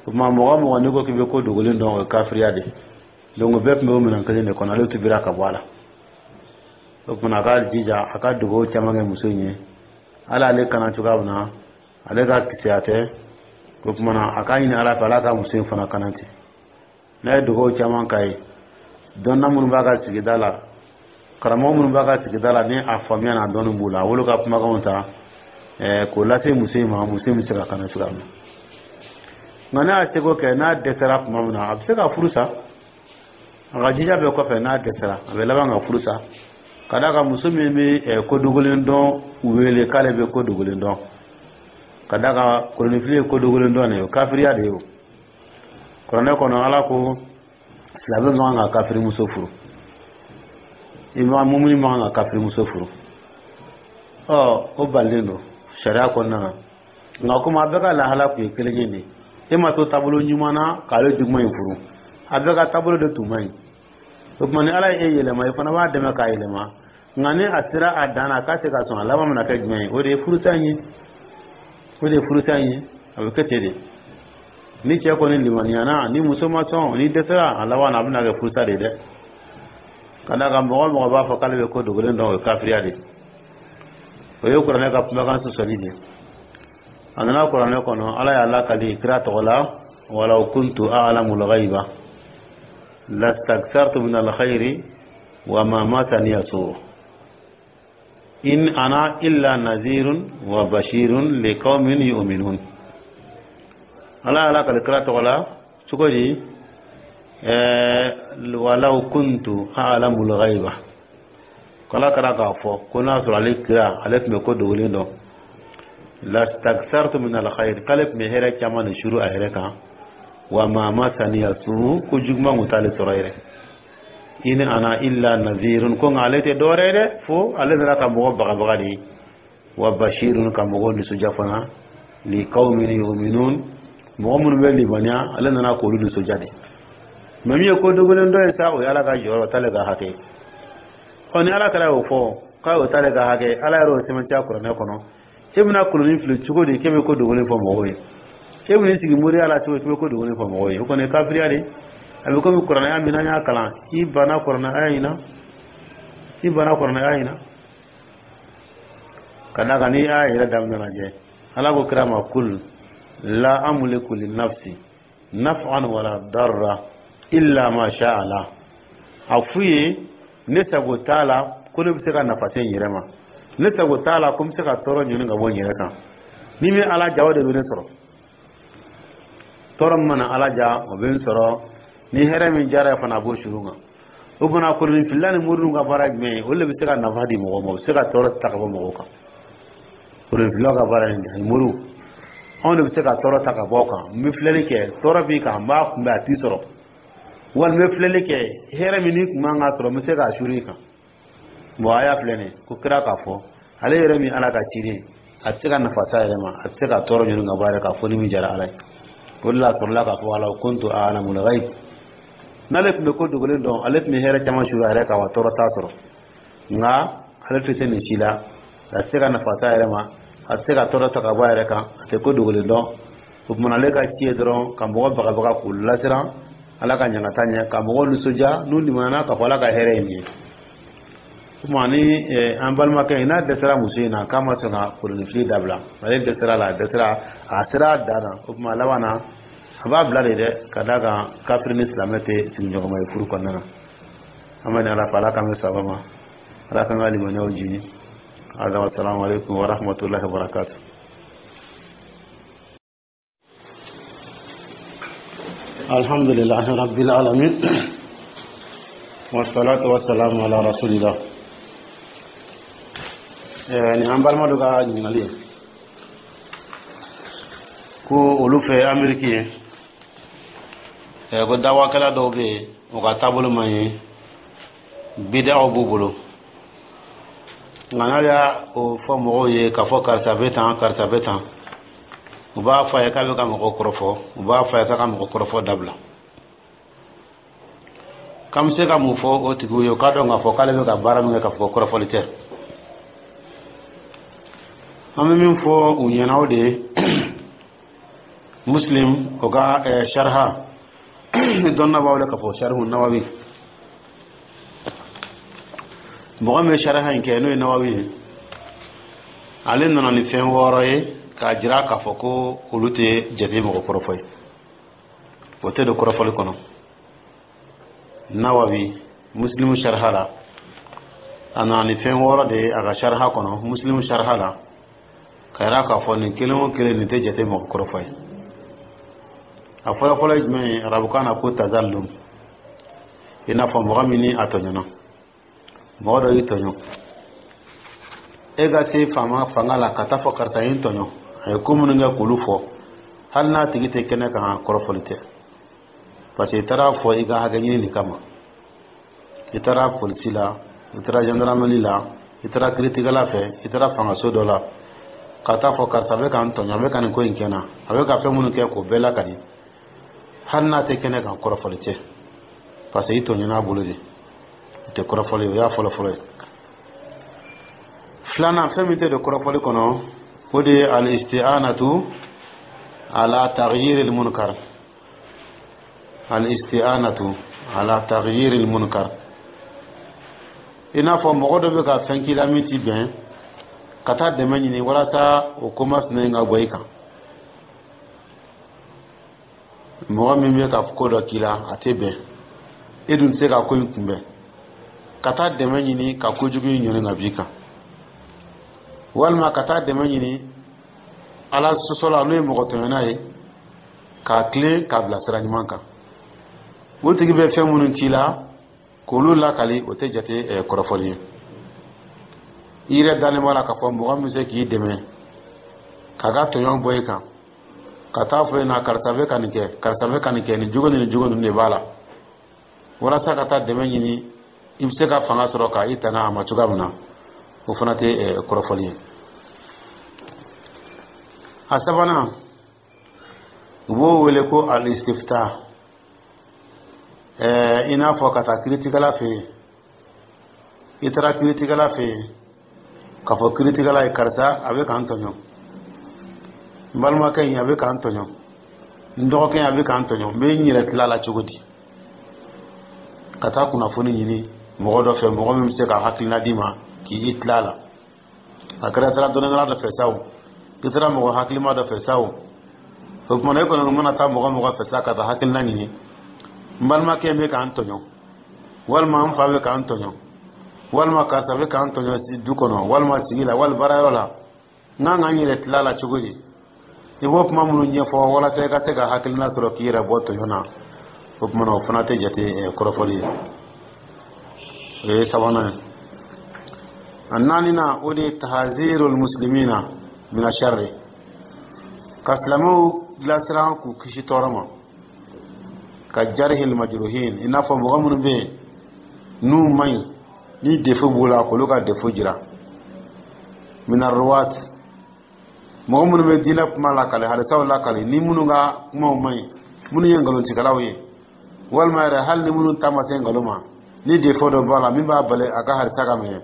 O tuma, mɔgɔ o mɔgɔ n'i ko k'i bɛ ko dogolen dɔn, o ye kafiriya de ye. Donc bɛɛ tun bɛ o minɛn kelen de kɔnɔ, ale tubira ka bɔ a la. O tuma, a ka jija, a ka dugawu caman kɛ muso in ye, ala ale kana cogoya min na, ale ka kisɛya tɛ. O tuma na, a k'a ɲini Ala fɛ, Ala ka muso in fana kana ten. N'a ye dugawu caman k'a ye, dɔnna minnu b'a ka sigida la, karamɔgɔ minnu b'a ka sigida la, ni a faamuya n'a dɔnni b'u la, a wolo ka kumakanw ta k'o lase muso in ma, muso in bɛ se ka kana cogoya min na. Nka n'a y'a seko kɛ, n'a dɛsɛra tuma min na, a bɛ se ka furu sa. A ka jija bɛɛ kɔfɛ, n'a dɛsɛra, a bɛ laban ka furu sa, ka d'a kan muso min bɛ ko dogolen dɔn wele k'ale bɛ ko dogolen dɔn, ka d'a kan kolonifili ye ko dogolen dɔn de ye, o kafiriya de ye. O kuranɛ kɔnɔ, Ala ko silamɛ man kan ka kafirimuso furu, i ma mumuni man kan ka kafirimuso furu. Ɔ o balilen don sariya kɔnɔna na. Nka komi a bɛɛ ka lahala tun ye kelen ye de, e ma to taabolo ɲuman na k'ale juguman in furu, a bɛɛ ka taabolo de tun man ɲi. O tuma, ni Ala ye e yɛlɛma, i fana b'a dɛmɛ k'a yɛlɛma. Nka ni a sera a dan na k'a tɛ ka sɔn, a laban bɛna kɛ jumɛn ye? O de ye furusa in ye, o de ye furusa in ye. A bɛ kɛ ten de. Ni cɛ kɔni limaniyana, ni muso ma sɔn, ni dɛsɛra, a laban na a bɛna kɛ furusa de ye dɛ. Ka d'a kan mɔgɔ o mɔgɔ b'a fɔ k'ale bɛ ko dogolen dɔn, o ye kafiriya de ye, o ye kuranɛ ka kumakan sɔsɔli de ye. A nana kuranɛ kɔnɔ, Ala y'a lakali kira tɔgɔ la: walaw kuntu a'lamul ghaiba lastakthartu min alkhairi wa ma masaniya su in ana illa nazirun wa bashirun liqaumin yu'minun. Ala y'a lakali kira tɔgɔ la cogo di? Walaw kuntu a'lamul ghaiba, k'Ala kɛra k'a fɔ ko n'a sɔrɔ ale kira, ale tun bɛ ko dogolen dɔn, lastakthartu min alkhair, k'ale tun bɛ hɛrɛ caman de suru a yɛrɛ kan, wa ma masaniya su, ko juguman kun t'ale sɔrɔ yɛrɛ, in ana illa nazirun, ko nka ale tɛ dɔwɛrɛ ye dɛ, fo ale nana ka mɔgɔ bagabaga de ye, wa bashirun, ka mɔgɔw nisɔndiya fana, li qaumin yu'minun, mɔgɔ minnu bɛ limaniya, ale nana k'olu nisɔndiya de. Mɛ min ye ko dogolen dɔ ye sa, o ye Ala ka jɔyɔrɔ t'ale ka hakɛ. Ɔ, ni Ala kɛra y'o fɔ k'a y'o t'ale ka hakɛ, Ala yɛrɛ y'o sɛbɛntiya kuranɛ kɔnɔ, e bɛna kolonin fili cogo di k'e bɛ ko dogolen fɔ mɔgɔw ye? E bɛn'i sigi moriya la cogo di k'e bɛ ko dogolen fɔ mɔgɔw ye? O kɔni ye kafiriya de. A bɛ komi kuranɛ min n'an y'a kalan, i banna kuranɛ aya in na, i banna kuranɛ aya in na. Ka d'a kan n'i y'a yɛrɛ daminɛ lajɛ, Ala ko kira ma: kul la amliku li nafsi naf'an wala darra illa ma sha Allah. A f'u ye, ne sago t'a la ko ne bɛ se ka nafa se n yɛrɛ ma, ne sago t'a la ko n bɛ se ka tɔɔrɔ ɲini ka bɔ n yɛrɛ kan. Ni min Ala ja, o de bɛ ne sɔrɔ. Tɔɔrɔ min mana Ala ja, o bɛ n sɔrɔ. Ni hɛrɛ min jara fana, a b'o suru kan. O fana, koloninfilila ni moriw ka baara jumɛn ye? Olu de bɛ se ka nafa di mɔgɔw ma, u bɛ se ka tɔɔrɔ ta ka bɔ mɔgɔw kan. Koloninfilaw ka baara ye nin, moriw, anw de bɛ se ka tɔɔrɔ ta ka bɔ kan. N bɛ filɛli kɛ, tɔɔrɔ b'i kan, n b'a kunbɛn, a t'i sɔrɔ. Walima n bɛ filɛli kɛ, hɛrɛ min n'i kun man ka sɔrɔ, n bɛ se k'a suru i kan. Bon, a y'a filɛ nin ye ko kira k'a fɔ, ale yɛrɛ min Ala ka ciden, a tɛ se ka nafa s'a yɛrɛ ma, a tɛ se ka tɔɔrɔ ɲini ka bɔ a yɛrɛ kan fo ni min jara Ala ye. O de la a sɔrɔla k'a fɔ: walaw kuntu a'lamul ghaib. N'ale tun bɛ ko dogolen dɔn, ale tun bɛ hɛrɛ caman suru a yɛrɛ kan, wa tɔɔrɔ t'a sɔrɔ. Nka ale tɛ se nin si la, a tɛ se ka nafa s'a yɛrɛ ma, a tɛ se ka tɔɔrɔ ta ka bɔ a yɛrɛ kan, a tɛ ko dogolen dɔn. O tuma, ale ka ci ye dɔrɔn ka mɔgɔ bagabaga k'u lasiran Ala ka ɲangata ɲɛ, ka mɔgɔw nisɔndiya n'u limaniyana k'a fɔ Ala ka hɛrɛ ye nin ye. O tuma, ni an balimakɛ in n'a dɛsɛra muso in na, k'a ma sɔn ka kolonifili dabila, ale dɛsɛra la, a dɛsɛra, a sera a dan na, o tuma, a laban na, a b'a bila de dɛ. Ka d'a kan kafiri ni silamɛ tɛ sigiɲɔgɔnma ye furu kɔnɔna na. An bɛ ni Ala fɛ, Ala k'an bɛ sababa ma, Ala k'an ka limaniyaw jini. Hada wa salamu aleykum wa rahmatullahi wa barakatuh. Alhamdulillahi rabbil alamin, wassalatu wassalamu ala rasulillah. Ni an balima dɔ ka ɲininkali ye ko olu fɛ Ameriki ye, ko dawakɛla dɔw bɛ yen, u ka taabolo man ɲi, bidaw b'u bolo. Nka n'a y'a o fɔ mɔgɔw ye k'a fɔ karisa bɛ tan, karisa bɛ tan, u b'a fɔ a ye k'a bɛ ka mɔgɔ kɔrɔfɔ, u b'a fɔ a ye k'a ka mɔgɔ kɔrɔfɔ dabila. K'an bɛ se ka mun fɔ o tigiw ye? O k'a dɔn k'a fɔ k'ale bɛ ka baara min kɛ, k'a fɔ kɔrɔfɔli tɛ. An bɛ min fɔ u ɲɛna, o de ye Muslim o ka sharha ni dɔnna b'a wele k'a fɔ Sharhu Nawawi. Mɔgɔ min bɛ sharha in kɛ, n'o ye Nawawi ye, ale nana ni fɛn wɔɔrɔ ye k'a jira k'a fɔ ko olu tɛ jate mɔgɔ kɔrɔfɔ ye, o tɛ don kɔrɔfɔli kɔnɔ. Nawawi, Muslimu sharha la, a nana ni fɛn wɔɔrɔ de ye a ka sharha kɔnɔ, Muslimu sharha la, ka yira k'a fɔ nin kelen o kelen, nin tɛ jate mɔgɔ kɔrɔfɔ ye. A fɔlɔ fɔlɔ ye jumɛn ye? Arabukan na ko tazallum, i n'a fɔ mɔgɔ min ni a tɔɲɔna, mɔgɔ dɔ y'i tɔɲɔ, e ka se faama fanga la ka taa fɔ karisa ye n tɔɲɔ, a ye ko minnu kɛ k'olu fɔ, hali n'a tigi tɛ kɛnɛ kan, kɔrɔfɔli tɛ, parce que i taara fɔ i ka hakɛ ɲini de kama. I taara polisi la, i taara gendarmerie la, i taara kiiritigɛla fɛ, i taara fangaso dɔ la ka taa fɔ karisa bɛ ka n tɔɲɔ, a bɛ ka nin ko in kɛ n na, a bɛ ka fɛn minnu kɛ, k'o bɛɛ lakali, hali n'a tɛ kɛnɛ kan, kɔrɔfɔli tɛ, parce que i tɔɲɔna bolo de, o tɛ kɔrɔfɔli ye. O y'a fɔlɔ fɔlɔ ye. Filanan, fɛn min tɛ don kɔrɔfɔli kɔnɔ, o de ye al-isti'anatu ala taghyir al-munkar. Al-isti'anatu ala taghyir al-munkar, i n'a fɔ mɔgɔ dɔ bɛ ka fɛn k'i la min ti bɛn, ka taa dɛmɛ ɲini walasa o ko masina in ka bɔ i kan. Mɔgɔ min bɛ ka ko dɔ k'i la, a tɛ bɛn, e dun tɛ se ka ko in kunbɛn, ka taa dɛmɛ ɲini ka kojugu in ɲɔni ka b'i kan, walima ka taa dɛmɛ ɲini Ala sɔsɔ la, n'o ye mɔgɔ tɔɲɔna ye, k'a tilen k'a bila sira ɲuman kan. O tigi bɛ fɛn minnu k'i la, k'olu lakali, o tɛ jate kɔrɔfɔli ye. I yɛrɛ dalen b'a la k'a fɔ mɔgɔ min bɛ se k'i dɛmɛ k'a ka tɔɲɔ bɔ i kan, ka taa fɔ i ɲɛna: karisa bɛ ka nin kɛ, karisa bɛ ka nin kɛ, nin jogo ni nin jogo ninnu de b'a la, walasa ka taa dɛmɛ ɲini, i bɛ se ka fanga sɔrɔ ka i tanga a ma cogoya min na, o fana tɛ kɔrɔfɔli ye. A sabanan, u b'o wele ko al-istifta, i n'a fɔ ka taa kiritigɛla fɛ yen. I taara kiritigɛla fɛ yen k'a fɔ kiritigɛla ye: karisa a bɛ k'an tɔɲɔ, n balimakɛ in a bɛ k'an tɔɲɔ, n dɔgɔkɛ in a bɛ k'an tɔɲɔ, n bɛ n yɛrɛ tila la cogo di? Ka taa kunnafoni ɲini mɔgɔ dɔ fɛ, mɔgɔ min bɛ se ka hakilina d'i ma k'i tila la. A kɛra taara dɔnnikɛla dɔ fɛ sa o, i taara mɔgɔ hakilima dɔ fɛ sa o, o kumana e kɔni mana taa mɔgɔ mɔgɔ fɛ sa ka taa hakilina ɲini: n balimakɛ bɛ k'an tɔɲɔ, walima n fa bɛ k'an tɔɲɔ, walima karisa bɛ k'an tɔɲɔ du kɔnɔ, walima sigi la, walima baarayɔrɔ la, n kan ka n yɛrɛ tila la cogo di? I b'o kuma minnu ɲɛfɔ walasa i ka se ka hakilina sɔrɔ k'i yɛrɛ bɔ tɔɲɔ na, o kumana o fana tɛ jate kɔrɔfɔli ye. O ye sabanan ye. A naaninan, o de ye tahzirul muslimina mina sharri, ka silamɛw lasiran k'u kisi tɔɔrɔ ma, ka jarihil majruhin, i n'a fɔ mɔgɔ minnu bɛ yen n'u man ɲi, ni défaut b'u la, k'olu ka défaut jira. Mina ruwat, mɔgɔ minnu bɛ diinɛ kuma lakale, hadisaw lakale, ni minnu ka kumaw man ɲi, minnu ye nkalontigɛlaw ye, walima yɛrɛ hali ni minnu ta ma se nkalon ma, ni défaut dɔ b'a la min b'a bali a ka hadisa ka minɛ,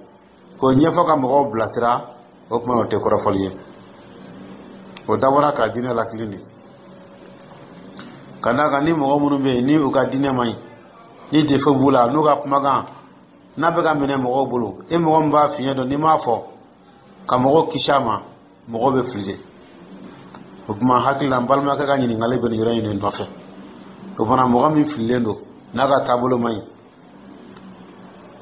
k'o ɲɛfɔ ka mɔgɔw bilasira, o tuma o tɛ kɔrɔfɔli ye. O dabɔra ka diinɛ lakili de. Ka d'a kan ni mɔgɔ minnu bɛ yen ni u ka diinɛ man ɲi, ni défaut b'u la, n'u ka kumakan n'a bɛ ka minɛ mɔgɔw bolo, e mɔgɔ min b'a fiɲɛ dɔn, n'i m'a fɔ ka mɔgɔw kisi a ma, mɔgɔw bɛ fili de. O tuma hakili la, n balimakɛ ka ɲininkali bɛ nin yɔrɔ in de nɔfɛ. O fana, mɔgɔ min fililen don, n'a ka taabolo man ɲi,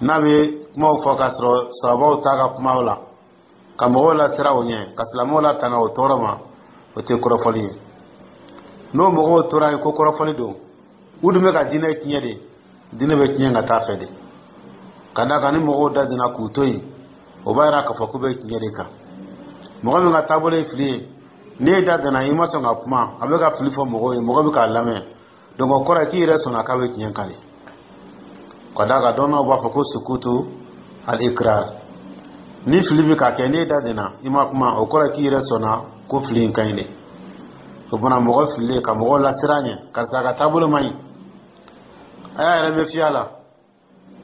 n'a bɛ kumaw fɔ k'a sɔrɔ sababaw t'a ka kumaw la, ka mɔgɔw lasira o ɲɛ, ka silamɛw latanga o tɔɔrɔ ma, o tɛ kɔrɔfɔli ye. N'o mɔgɔw tora yen ko kɔrɔfɔli don, u dun bɛ ka diinɛ tiɲɛ de. Diinɛ bɛ tiɲɛ ka taa fɛ de. Ka d'a kan ni mɔgɔw da donna k'u to yen, o b'a yira k'a fɔ k'u bɛ tiɲɛ de kan. Mɔgɔ min ka taabolo ye fili ye, n'e da donna, i ma sɔn ka kuma, a bɛ ka fili fɔ mɔgɔw ye, mɔgɔ bɛ k'a lamɛn, donc o kɔrɔ ye k'i yɛrɛ sɔnna k'a bɛ tiɲɛ kan de. Ka d'a kan dɔnnaw b'a fɔ ko sukutu al ikrar, ni fili bɛ ka kɛ, n'e da donna, i ma kuma, o kɔrɔ ye k'i yɛrɛ sɔnna ko fili in ka ɲi de. O fana, mɔgɔ fililen, ka mɔgɔw lasiran ɲɛ: karisa ka taabolo man ɲi, a y'a yɛrɛ bɛ fiyɛ a la.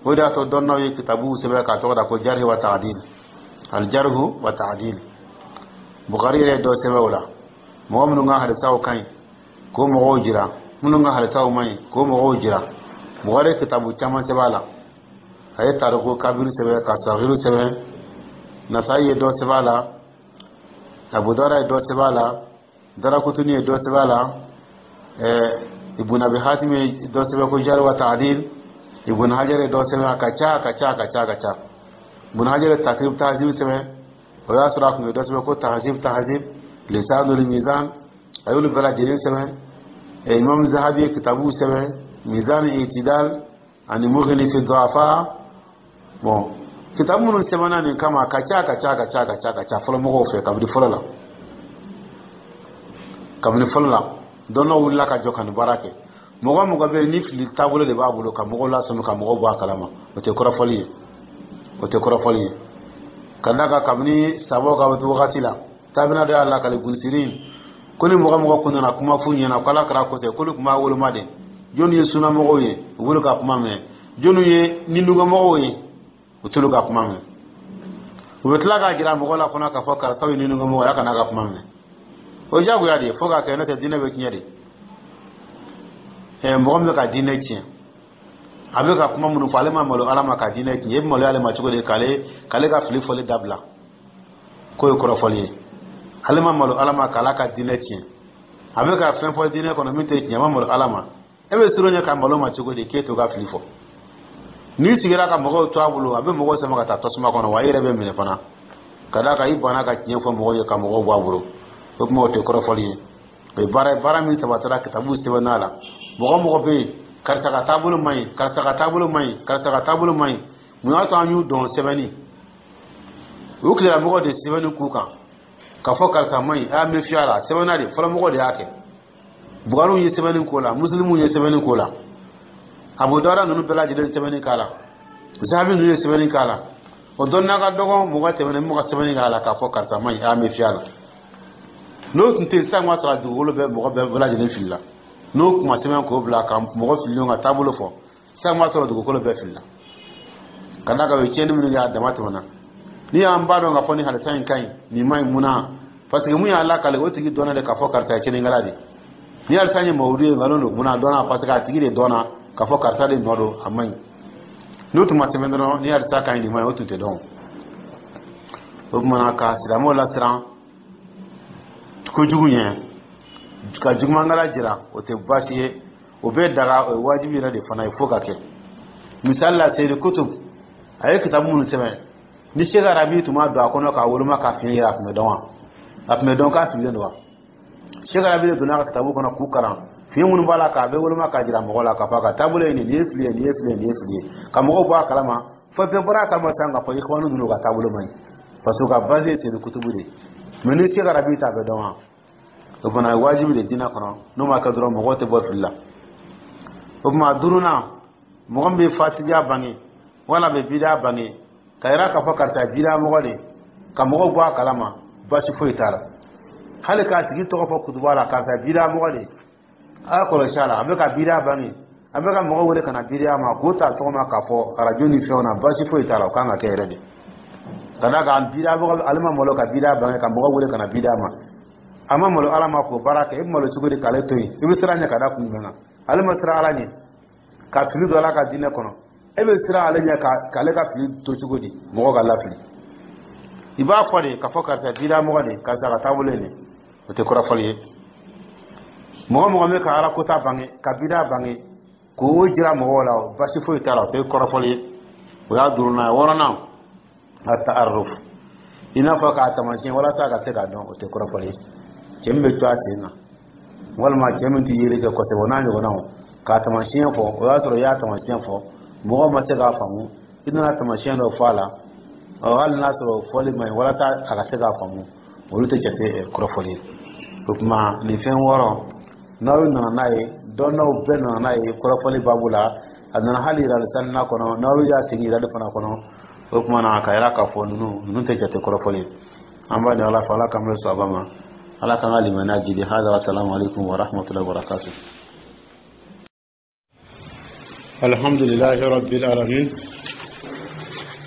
O de y'a to dɔnnaw ye kitabuw sɛbɛn k'a tɔgɔ da ko jarhi wa ta'dil, al jarhu wa ta'dil. Bukari yɛrɛ ye dɔ sɛbɛn o la: mɔgɔ minnu ka hadisaw ka ɲi, k'o mɔgɔw jira, minnu ka hadisaw man ɲi, k'o mɔgɔw jira. Bukari ye kitabu caman sɛbɛn a la. A ye tariku kabiru sɛbɛn, ka sagiru sɛbɛn. Nasayi ye dɔ sɛbɛn a la, Abu Dawuda ye dɔ sɛbɛn a la, Darakutuni ye dɔ sɛbɛn a la, Ibn Abi Hatim ye dɔ sɛbɛn ko jarh wa ta'dil, Ibn Hajar ye dɔ sɛbɛn. A ka ca, a ka ca, a ka ca, a ka ca. Ibn Hajar ye Takrib Tahzib sɛbɛn, o y'a sɔrɔ a tun ye dɔ sɛbɛn ko Tahzib Tahzib, Lisanul Mizan, a y'olu bɛɛ lajɛlen sɛbɛn. Imam Zahabi ye kitabuw sɛbɛn, Mizan Itidal ani Mughni fi Du'afa. Bon, kitabu minnu sɛbɛnna nin kama, a ka ca, a ka ca, a ka ca, a ka ca, a ka ca fɔlɔ mɔgɔw fɛ. Kabini fɔlɔ la, kabini fɔlɔ la, dɔnnaw wulila ka jɔ ka nin baara kɛ. Mɔgɔ mɔgɔ bɛ yen ni fili taabolo de b'a bolo, ka mɔgɔw lasɔmi, ka mɔgɔw bɔ a kalama, o tɛ kɔrɔfɔli ye, o tɛ kɔrɔfɔli ye. Ka d'a kan kabini sabaw ka wagati la, taabina dɔ y'a lakale, Bunsirin, ko ni mɔgɔ mɔgɔ kun nana kuma f'u ɲɛna ko Ala kɛra kɔsɛ, k'olu tun b'a woloma de: jɔnni ye sunnamɔgɔw ye, u b'olu ka kuma mɛn; jɔnni ye nidungɔmɔgɔw ye, u t'olu ka kuma mɛn. U bɛ tila k'a jira mɔgɔw la fana k'a fɔ karisaw ye nidungɔmɔgɔ ye, a kana ka kuma mɛn. O ye diyagoya de ye fo k'a kɛ, n'o tɛ diinɛ bɛ tiɲɛ de. Mɔgɔ min bɛ ka diinɛ tiɲɛ, a bɛ ka kuma minnu fɔ, ale ma malo Ala ma ka diinɛ tiɲɛ, e bɛ maloya ale ma cogo di k'ale ka fili fɔli dabila? K'o ye kɔrɔfɔli ye. Ale ma malo Ala ma k'ala ka diinɛ tiɲɛ, a bɛ ka fɛn fɔ diinɛ kɔnɔ min tɛ tiɲɛ, a ma malo Ala ma. E bɛ siran ɲɛ ka malo ma cogo di k'e t'o ka fili fɔ? N'i sigira ka mɔgɔw to a bolo, a bɛ mɔgɔw sama ka taa tasuma kɔnɔ, wa i yɛrɛ bɛ minɛ fana, ka d'a kan i banna ka tiɲɛ fɔ mɔgɔw ye ka mɔgɔw bɔ a bolo. O tuma, o tɛ kɔrɔfɔli ye. O ye baara ye, baara min sabatira kitabu sɛbɛnna la. Mɔgɔ mɔgɔ bɛ yen, karisa ka taabolo man ɲi, karisa ka taabolo man ɲi, karisa ka taabolo man ɲi, mun y'a to an y'u dɔn? Sɛbɛnni. U tigilamɔgɔw de sɛbɛnni k'u kan k'a fɔ karisa man ɲi, a y'a méfier a la. Sɛbɛnna de, fɔlɔmɔgɔw de y'a kɛ. Bukariw ye sɛbɛnni k'o la, Musilimuw ye sɛbɛnni k'o la, Abu Dawuda ninnu bɛɛ lajɛlen sɛbɛnni k'a la, Zahabi ninnu ye sɛbɛnni k'a la. O dɔnniya ka dɔgɔn, mɔgɔ tɛmɛnen mɔgɔ sɛbɛnni k'a la k'a fɔ karisa man ɲi, a y'a méfier a la. N'o tun tɛ yen sisan, b'a sɔrɔ a dugukolo bɛɛ, mɔgɔ bɛɛ lajɛlen filila. N'o kuma sɛbɛn k'o bila ka mɔgɔ fililenw ka taabolo fɔ sisan, b'a sɔrɔ dugukolo bɛɛ filila, ka d'a kan o ye tiɲɛni minnu kɛ, a dama tɛmɛna. N'i y'an b'a dɔn k'a fɔ ni halisa in ka ɲi, nin man ɲi, mun na? Parce que mun y'a lakale, o tigi dɔnna de k'a fɔ karisa ye tiɲɛnikɛla de. Ni halisa ye mawudu ye, nkalon don, mun na? A dɔnna, parce que a tigi de dɔnna k'a fɔ karisa de nɔ don, a man ɲi. N'o tun ma sɛbɛn dɔrɔn, ni halisa ka ɲi, nin man ɲi, o tun tɛ dɔn. O tuma na, ka silamɛw lasiran kojugu ɲɛ, ka jugumankala jira, o tɛ baasi ye, o bɛ daga, o ye wajibi yɛrɛ de fana ye fo ka kɛ. Misali la, Seyidi Kutub, a ye kitabu minnu sɛbɛn, ni Seki Arabi tun ma don a kɔnɔ k'a woloma k'a fiɲɛ yira, a tun bɛ dɔn wa? A tun bɛ dɔn k'a fililen don wa? Seki Arabi de donna a ka kitabu kɔnɔ k'u kalan, fiɲɛ minnu b'a la, k'a bɛɛ woloma k'a jira mɔgɔ la k'a fɔ a ka taabolo ye nin, nin ye fili ye, nin ye fili ye, nin ye fili ye, ka mɔgɔw bɔ a kalama, fo bɛɛ bɔra a kalama sisan k'a fɔ ikhwanu ninnu ka taabolo man ɲi, parce que u ka base ye Seyidi Kutubu de ye. Mais ni Seki Arabi t'a bɛ dɔn wa? O fana ye wajibi de diinɛ kɔnɔ. N'o ma kɛ dɔrɔn, mɔgɔw tɛ bɔ fili la. O tuma, duurunan, mɔgɔ min bɛ fasidiya bange wala bɛ bidiya bange, ka yira k'a fɔ karisa ye bidiya mɔgɔ de, ka mɔgɔw bɔ a kalama, baasi foyi t'a la. Hali k'a tigi tɔgɔ fɔ kutuba la, karisa ye bidiya mɔgɔ de, a y'a kɔlɔsi a la, a bɛ ka bidiya bange, a bɛ ka mɔgɔw wele ka na bidiya ma, k'o ta tɔgɔ ma k'a fɔ arajo ni fɛnw na, baasi foyi t'a la. O kan ka kɛ yɛrɛ de, ka d'a kan bidiya mɔgɔ, ale ma malo ka bidiya bange ka mɔgɔw wele ka na bidiya ma. A ma malo Ala ma k'o baara kɛ. E bɛ malo cogo di k'ale to yen? I bɛ siran ɲɛ ka da kun jumɛn kan? Ale ma siran Ala ɲɛ ka fili don Ala ka diinɛ kɔnɔ, e bɛ siran ale ɲɛ k'ale ka fili to cogo di mɔgɔ ka lafili? I b'a fɔ de k'a fɔ karisa bidiya mɔgɔ de, karisa ka taabolo ye nin, o tɛ kɔrɔfɔli ye. Mɔgɔ mɔgɔ bɛ ka Ala kota bange, ka bidiya bange, k'o jira mɔgɔw la, basi foyi t'a la, o tɛ kɔrɔfɔli ye. O y'a duurunan ye. Wɔɔrɔnan, a ta'arruf, i n'a fɔ k'a taamasiyɛn walasa a ka se k'a dɔn, o tɛ kɔrɔfɔli ye. Cɛ min bɛ to a sen kan, walima cɛ min tɛ yeli kɛ kosɛbɛ, o n'a ɲɔgɔnnaw, k'a taamasiyɛn fɔ, o y'a sɔrɔ i y'a taamasiyɛn fɔ, mɔgɔw ma se k'a faamu, i nana taamasiyɛn dɔ fɔ a la, ɔ hali n'a sɔrɔ fɔli man ɲi, walasa a ka se k'a faamu, olu tɛ jate kɔrɔfɔli ye. O tuma, nin fɛn wɔɔrɔ, n'aw nana n'a ye, dɔnnaw bɛɛ nana n'a ye kɔrɔfɔli baabu la. A nana hali yirali sanina kɔnɔ, n'aw y'a segin yirali fana kɔnɔ. O tuma na, ka yira k'a fɔ ninnu tɛ jate kɔrɔfɔli ye. An b'a ɲini Ala fɛ, Ala k'an bɛ sɔn a ma, Ala k'an ka limaniya jidi. Hada, wa salamu alaikum wa rahmatullahi wa barakatuh. الحمد لله رب العالمين،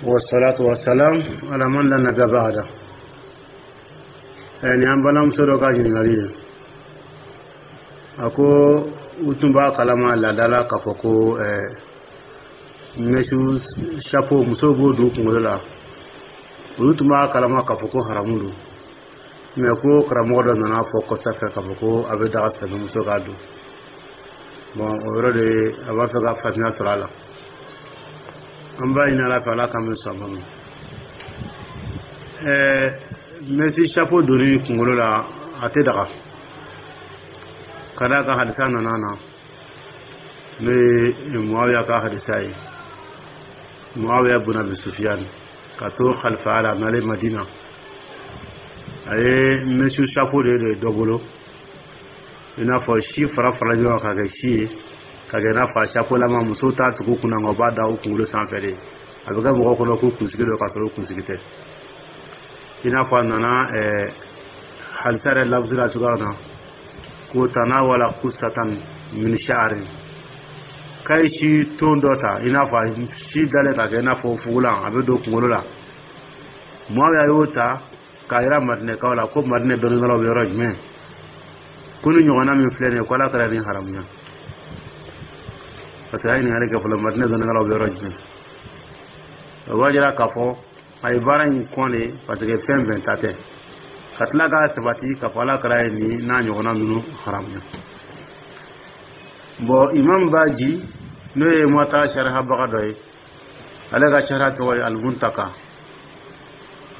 والصلاة والسلام على من لا نبي بعده. Yani an balimamuso dɔ ka ɲininkali ye, a ko u tun b'a kalama laada la k'a fɔ ko mèche chapeau, musow b'o don kunkolo la, olu tun b'a kalama k'a fɔ ko haramu don, mais ko karamɔgɔ dɔ nana fɔ kɔsa fɛ k'a fɔ ko a bɛ daga silamɛmuso k'a don. Bon, o yɔrɔ de, a b'a fɛ ka faamuya sɔrɔ a la. An b'a ɲini Ala fɛ, Ala k'an bɛ sɔn a ma. Mèche chapeau donni kunkolo la, a tɛ daga, ka d'a kan hadisa nana na, n'o ye Muawiya ka hadisa ye. Muawiya bun Abi Sufiyan, ka to xalifaya la, a nalen Madina, a ye mèche chapeau de dɔ bolo, i n'a fɔ si fara fara ɲɔgɔn kan ka kɛ si ye, ka kɛ i n'a fɔ a chapeau lama. Musow t'a tugu kunna, nka u b'a da u kunkolo sanfɛ de, a bɛ kɛ mɔgɔw kɔnɔ k'u kunsigi don, k'a sɔrɔ u kunsigi tɛ. I n'a fɔ a nana hadisa yɛrɛ labusi la cogoya min na, ko tanawala kusatan min sha'arin, k'a ye si ton dɔ ta, i n'a fɔ a si dalen ka kɛ i n'a fɔ fugulan, a bɛ don kunkolo la. Muawiya y'o ta k'a yira Madinɛkaw la ko Madinɛ dɔnnikɛlaw bɛ yɔrɔ jumɛn, ko ni ɲɔgɔnna min filɛ nin ye, ko Ala kɛra nin haramuya. Parce que a ye ɲininkali kɛ fɔlɔ, Madinɛ dɔnnikɛlaw bɛ yɔrɔ jumɛn? O b'a jira k'a fɔ a ye baara in kɔn de, parce que fɛn bɛn ta tɛ ka tila k'a sabati k'a fɔ Ala kɛra ye nin n'a ɲɔgɔnna ninnu haramuya. Bon, Imam Baji, n'o ye Muwata sarihabaga dɔ ye, ale ka sariya tɔgɔ ye Almuntaka,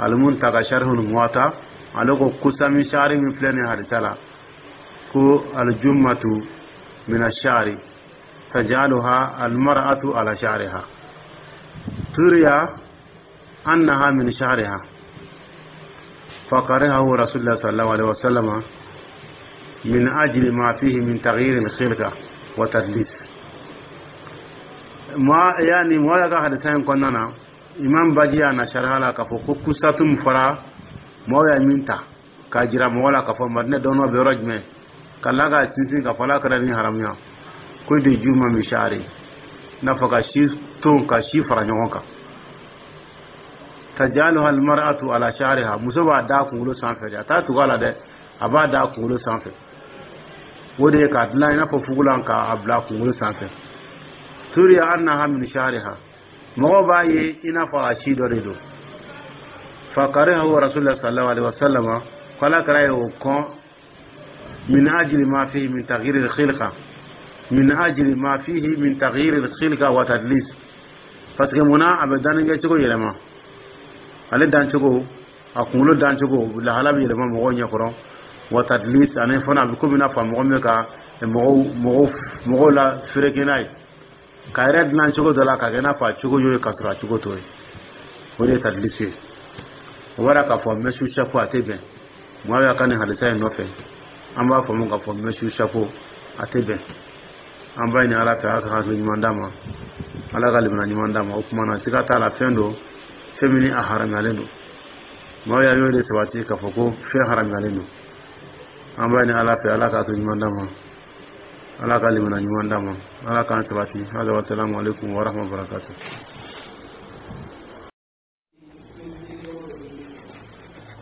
Almuntaka sharihul Muwata. Ale ko قصة من شعر min filɛ nin hadisa la, ko الجمة من الشعر تجعلها المرأة على شعرها ترى أنها من شعرها، فكرهه رسول الله صلى الله عليه وسلم من أجل ما فيه من تغيير الخلقة وتدليس. ما يعني ما ka hadisa in kɔnɔna na, Imam Baji y'a na sariya la k'a fɔ ko kusatu min fɔra, mɔgɔw ye min ta k'a jira mɔgɔ la k'a fɔ Madinɛ dɔnnɔ bɛ yɔrɔ jumɛn, ka la ka sinsin k'a fɔ Ala kɛra ni haramuya ko de جمة من شعر, n'a fɔ ka si ton, ka si fara ɲɔgɔn kan, تجعلها المرأة على شعرها, muso b'a da kunkolo sanfɛ de, a t'a tugu a la dɛ, a b'a da kunkolo sanfɛ. O de ye k'a dilan i n'a fɔ fugulan, k'a bila kunkolo sanfɛ. ترى أنها من شعرها, mɔgɔw b'a ye i n'a fɔ a si dɔ de don. فكرهه رسول الله صلى الله عليه وسلم, ko Ala kɛra ye o kɔn, من أجل ما فيه من تغيير الخلقة، من أجل ما فيه من تغيير الخلقة وتدليس. Parce que munna a bɛ danni kɛ cogo yɛlɛma, ale dan cogo, a kunkolo dan cogo lahala bɛ yɛlɛma mɔgɔw ɲɛkɔrɔ. وتدليس, ani fana a bɛ komi i n'a fɔ mɔgɔ min bɛ ka mɔgɔw la feereke n'a ye, ka yɛrɛ dilan cogo dɔ la, ka kɛ i n'a fɔ a cogo y'o ye, ka sɔrɔ a cogo t'o ye. O de ye تدليس ye. O b'a k'a fɔ mèche chapeau a tɛ bɛn. Mɔgɔ ka nin hadisa in nɔfɛ, an b'a faamu k'a fɔ mèche chapeau a tɛ bɛn. An b'a ɲini Ala fɛ, Ala ka hakili ɲuman d'a ma, Ala ka limaniya ɲuman d'a ma. O tuma na, siga t'a la, fɛn don, fɛn min ni a haramuyalen don. Maaw y'a y'o de sabati k'a fɔ ko fɛn haramuyalen don. An b'a ɲini Ala fɛ, Ala ka hakili ɲuman d'a ma, Ala ka limaniya ɲuman d'a ma, Ala k'an sabati. Hada, wa salamu alaikum wa rahmatullahi wa barakatuh.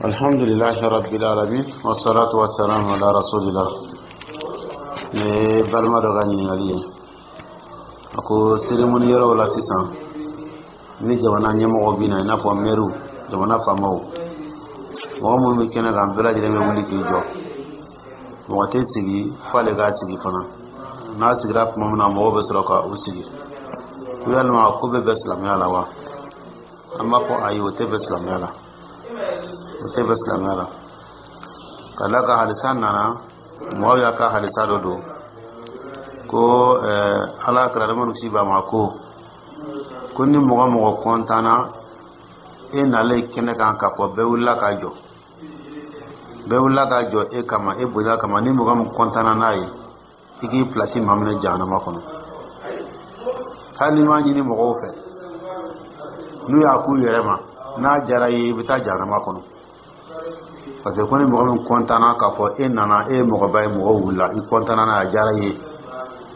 الحمد لله رب العالمين والصلاة والسلام على رسول الله. Ne balima dɔ ka ɲininkali ye, a ko cérémonie yɔrɔw la sisan, ni jamana ɲɛmɔgɔ bɛ na, i n'a fɔ mɛriw, jamana faamaw, mɔgɔ minnu bɛ kɛnɛ kan, bɛɛ lajɛlen bɛ wuli k'i jɔ, mɔgɔ tɛ sigi f'ale k'a sigi fana. N'a sigira tuma min na, mɔgɔw bɛ sɔrɔ ka u sigi. Ko yalima ko bɛ bɛn silamɛya la wa? An b'a fɔ ayi, o tɛ bɛn silamɛya la, o tɛ bɛn silamɛya la. Ka d'a kan hadisa nana, mɔgɔw y'a ka hadisa dɔ don ko Ala kɛra adamadenw si ba ma ko ni mɔgɔ kɔntanna e nalen kɛnɛ kan, k'a fɔ bɛɛ wulila ka jɔ, bɛɛ wulila ka jɔ e kama, e bonya kama, ni mɔgɔ min kɔntanna n'a ye, i k'i pilasi maminɛ jahanama kɔnɔ. Hali n'i m'a ɲini mɔgɔw fɛ, n'u y'a k'u yɛrɛ ma, n'a diyara i ye, i bɛ taa jahanama kɔnɔ. Parce que ko ni mɔgɔ min kɔntanna k'a fɔ e nana, e ye mɔgɔba ye, mɔgɔw wulila, i kɔntanna n'a ye, a diyara i ye,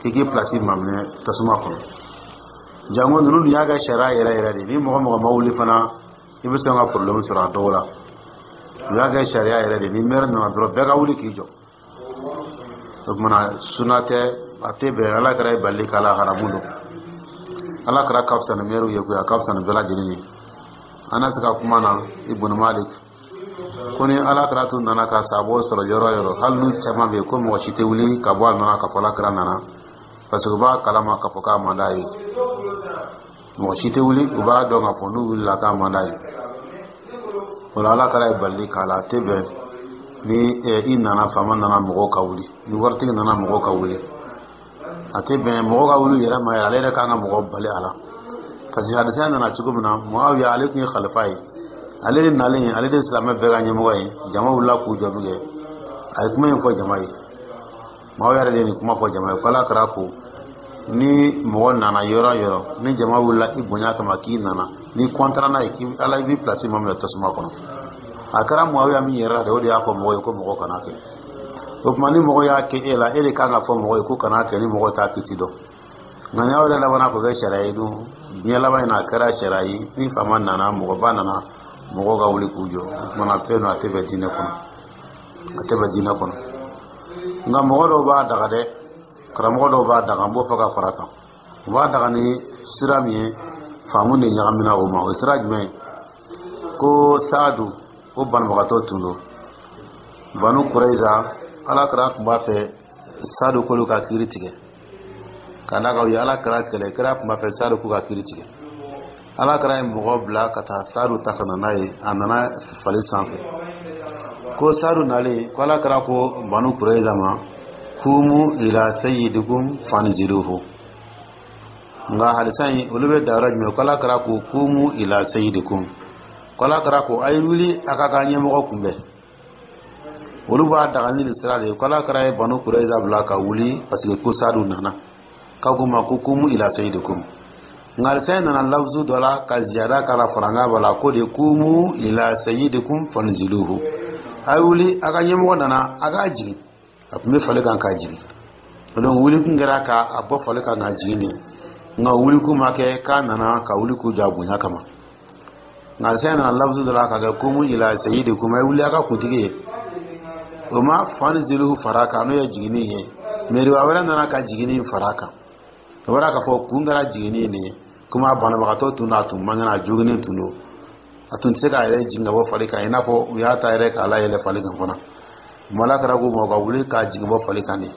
k'i k'i pilasi maminɛ tasuma kɔnɔ. Jango ninnu dun y'a kɛ sariya yɛrɛ yɛrɛ de, ni mɔgɔ mɔgɔ ma wuli fana, i bɛ sɔn ka problème sɔrɔ a dɔw la. U y'a kɛ sariya yɛrɛ de, ni maire nana dɔrɔn, bɛɛ ka wuli k'i jɔ. O kumana suna tɛ, a tɛ bɛn. Ala kɛra ye bali k'a la, haramu don. Ala kɛra ka fisa ni mɛriw ye koyi, a ka fisa ni bɛɛ lajɛlen ye. An na se ka kuma na Ibn Malik ko ni Ala kɛra tun nana ka sabɔ sɔrɔ yɔrɔ yɔrɔ, hali n'u caman bɛ yen, ko mɔgɔ si tɛ wuli ka bɔ a nana ka fɔ Ala kɛra nana, parce que u b'a kalama k'a fɔ k'a man d'a ye. Mɔgɔ si tɛ wuli, u b'a dɔn k'a fɔ n'u wulila k'a man d'a ye. O la, Ala kɛra ye bali k'a la, a tɛ bɛn. Ni i nana, faama nana, mɔgɔw ka wuli, ni waritigi nana, mɔgɔw ka wuli, a tɛ bɛn. Mɔgɔw ka wuli yɛrɛ ma ye, ale yɛrɛ kan ka mɔgɔ bali a la. Parce que hadisa nana cogo min na, Muawiya, ale tun ye khalifa ye, ale de nalen, ale de silamɛ bɛɛ ka ɲɛmɔgɔ ye, jama wulila k'u jɔ min kɛ, a ye kuma in fɔ jama ye. Muawiya yɛrɛ de ye nin kuma fɔ jama ye ko Ala kɛra ko ni mɔgɔ nana yɔrɔ yɔrɔ, ni jama wulila i bonya kama k'i nana, ni kɔntara n'a ye, k'i Ala i b'i pilasi ma minɛ tasuma kɔnɔ. A kɛra Muawiya min yɛrɛ la de, o de y'a fɔ mɔgɔ ye ko mɔgɔ kana kɛ. O tuma, ni mɔgɔ y'a kɛ e la, e de kan ka fɔ mɔgɔ ye ko kana kɛ, ni mɔgɔ t'a kiti dɔn. Nka n'aw yɛrɛ labanna k'o kɛ sariya ye dun, diɲɛ laban in na, a kɛra sariya ye, ni faama nana, mɔgɔba nana, mɔgɔw ka wuli k'u jɔ. O kumana fɛn don, a tɛ bɛn diinɛ kɔnɔ, a tɛ bɛn diinɛ kɔnɔ. Nka mɔgɔ dɔw b'a daga dɛ, karamɔgɔ dɔw b'a daga, n b'o fɔ ka fara kan. U b'a daga ni sira min ye, faamu de ɲagamina o ma. O sira jumɛn ye? Ko Saadu, o banabagatɔ tun don Banu Kuraiza. Ala kira tun b'a fɛ Saadu k'olu ka kiiri tigɛ, ka d'a kan u ye Ala kira kɛlɛ. Kira tun b'a fɛ Saadu k'u ka kiiri tigɛ. Ala kira ye mɔgɔ bila ka taa Saadu ta ka na n'a ye. A nana fali sanfɛ. Ko Saadu nalen, ko Ala kira ko Banu Kuraiza ma: "Kumu ila sayyidikum fanziluhu." Nka hadisa in, olu bɛ da yɔrɔ jumɛn? Ko Ala kira ko: "Kumu ila sayyidikum." Ko Ala kira ko: "A ye wuli, a ka ɲɛmɔgɔ kunbɛn." Olu b'a daga ni nin sira de ye, ko Ala kira ye Banu Kuraiza bila ka wuli parce que ko Saadu nana, k'a ko ma ko: "Kumu ila sayyidikum." Nka hadisa in nana lafzu dɔ la ka ziyada k'a la, faranga b'a la, ko de: "Kumu ila sayyidikum fanziluhu." A ye wuli, a ka ɲɛmɔgɔ nana, a k'a jigin. A tun bɛ fali kan k'a jigin. Donc wuli kun kɛra k'a bɔ fali kan k'a jigin de, nka wuli kun ma kɛ k'a nana ka wuli k'u jɔ a bonya kama. Nka hadisa in nana lafzu dɔ la ka kɛ: "Kumu ila sayyidikum", a ye wuli a ka kuntigi ye. O ma "fanziluhu" fara kan, n'o ye jiginni ye. Mais riwaya wɛrɛ nana ka jiginni fara kan. O bɔra k'a fɔ kun kɛra jiginni de ye, komi a banabagatɔ tun don, a tun man kɛnɛ, a joginnen tun don, a tun tɛ se k'a yɛrɛ jigin ka bɔ fali kan, i n'a fɔ u y'a ta yɛrɛ k'a layɛlɛ fali kan fana. Ala kɛra k'u ma u ka wuli k'a jigin bɔ fali kan de.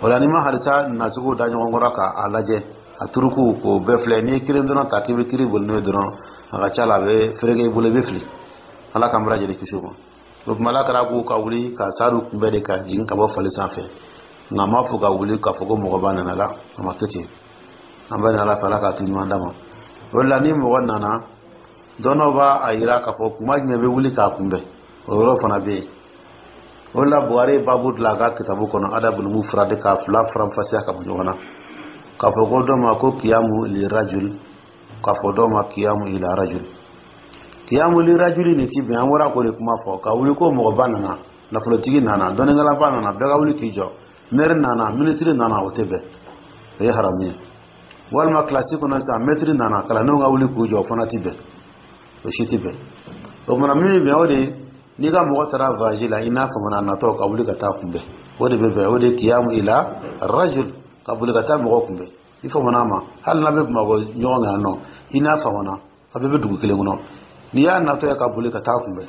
O la, n'i ma hadisa nacogo da ɲɔgɔn kɔrɔ k'a lajɛ, a turuku k'o bɛɛ filɛ, n'i ye kelen dɔrɔn ta k'i bɛ kiiri boli n'o ye dɔrɔn, a ka ca la, a bɛ fereke i bolo, i bɛ fili. Ala k'an bɛɛ lajɛlen kisi o ma. O tuma, Ala kɛra k'u ka wuli ka Saadu kunbɛn de, ka jigin ka bɔ fali sanfɛ. Nka a ma fɔ ka wuli k'a fɔ ko mɔgɔba nana la, a ma kɛ ten. An bɛ Ala fɛ, Ala k'a to ɲuman d'a ma. O de la, ni mɔgɔ nana, dɔnnaw b'a a yira k'a fɔ kuma jumɛn bɛ wuli k'a kunbɛn, o yɔrɔ fana bɛ yen. O de la, Buhari ye baabu dilan a ka kitabu kɔnɔ, Adabul Mufrad, k'a fila faranfasiya ka bɔ ɲɔgɔn na, k'a fɔ ko dɔ ma ko kiyamu li rajul, k'a fɔ dɔ ma kiyamu ila rajul. Kiyamu li rajuli nin ti bɛn. An bɔra k'o de kuma fɔ, ka wuli ko mɔgɔba nana, nafolotigi nana, dɔnnikɛlaba nana, bɛɛ ka wuli k'i jɔ, maire nana, minisiri nana, o tɛ bɛn, o ye haramu ye. Walima kilasi kɔnɔ sisan, mɛtiri nana, kalandenw ka wuli k'u jɔ, o fana ti bɛn, o si ti bɛn. O kumana, min bɛ bɛn, o de ye n'i ka mɔgɔ taara voyage la, i n'a famana natɔ, ka wuli ka taa kunbɛn, o de bɛ bɛn. O de ye kiyamu ila rajul, ka boli ka taa mɔgɔ kunbɛn i famana ma, hali n'a bɛ Bamakɔ ɲɔgɔn kan yan nɔ, i n'a famana, a bɛɛ bɛ dugu kelen kɔnɔ, n'i y'a natɔ ye, ka boli ka taa kunbɛn.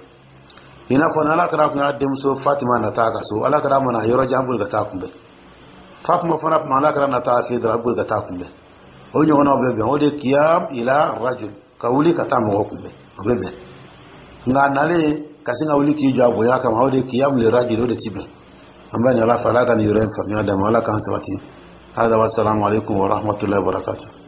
I n'a fɔ ni Ala kɛra kun y'a denmuso Fatima nata a ka so, Ala kɛra mana yɔrɔ jan, boli ka taa kunbɛn. Fatima fana tuma Ala kɛra nata a fɛ dɔrɔn, a boli ka taa kunbɛn. O ɲɔgɔnnaw bɛ bɛn. O de ye kiyam ila rajul, ka wuli ka taa mɔgɔ kunbɛn, o bɛ bɛn. Nka a nalen ka sin ka wuli k'i jɔ a bonya kama, o de ye kiyam li rajul, o de ti bɛn. An bɛ nin Ala fɛ, Ala ka nin yɔrɔ in faamuya d'a ma, Ala k'an sabati. Hada, wassalamu alaikum wa rahmatullahi wa barakatuh.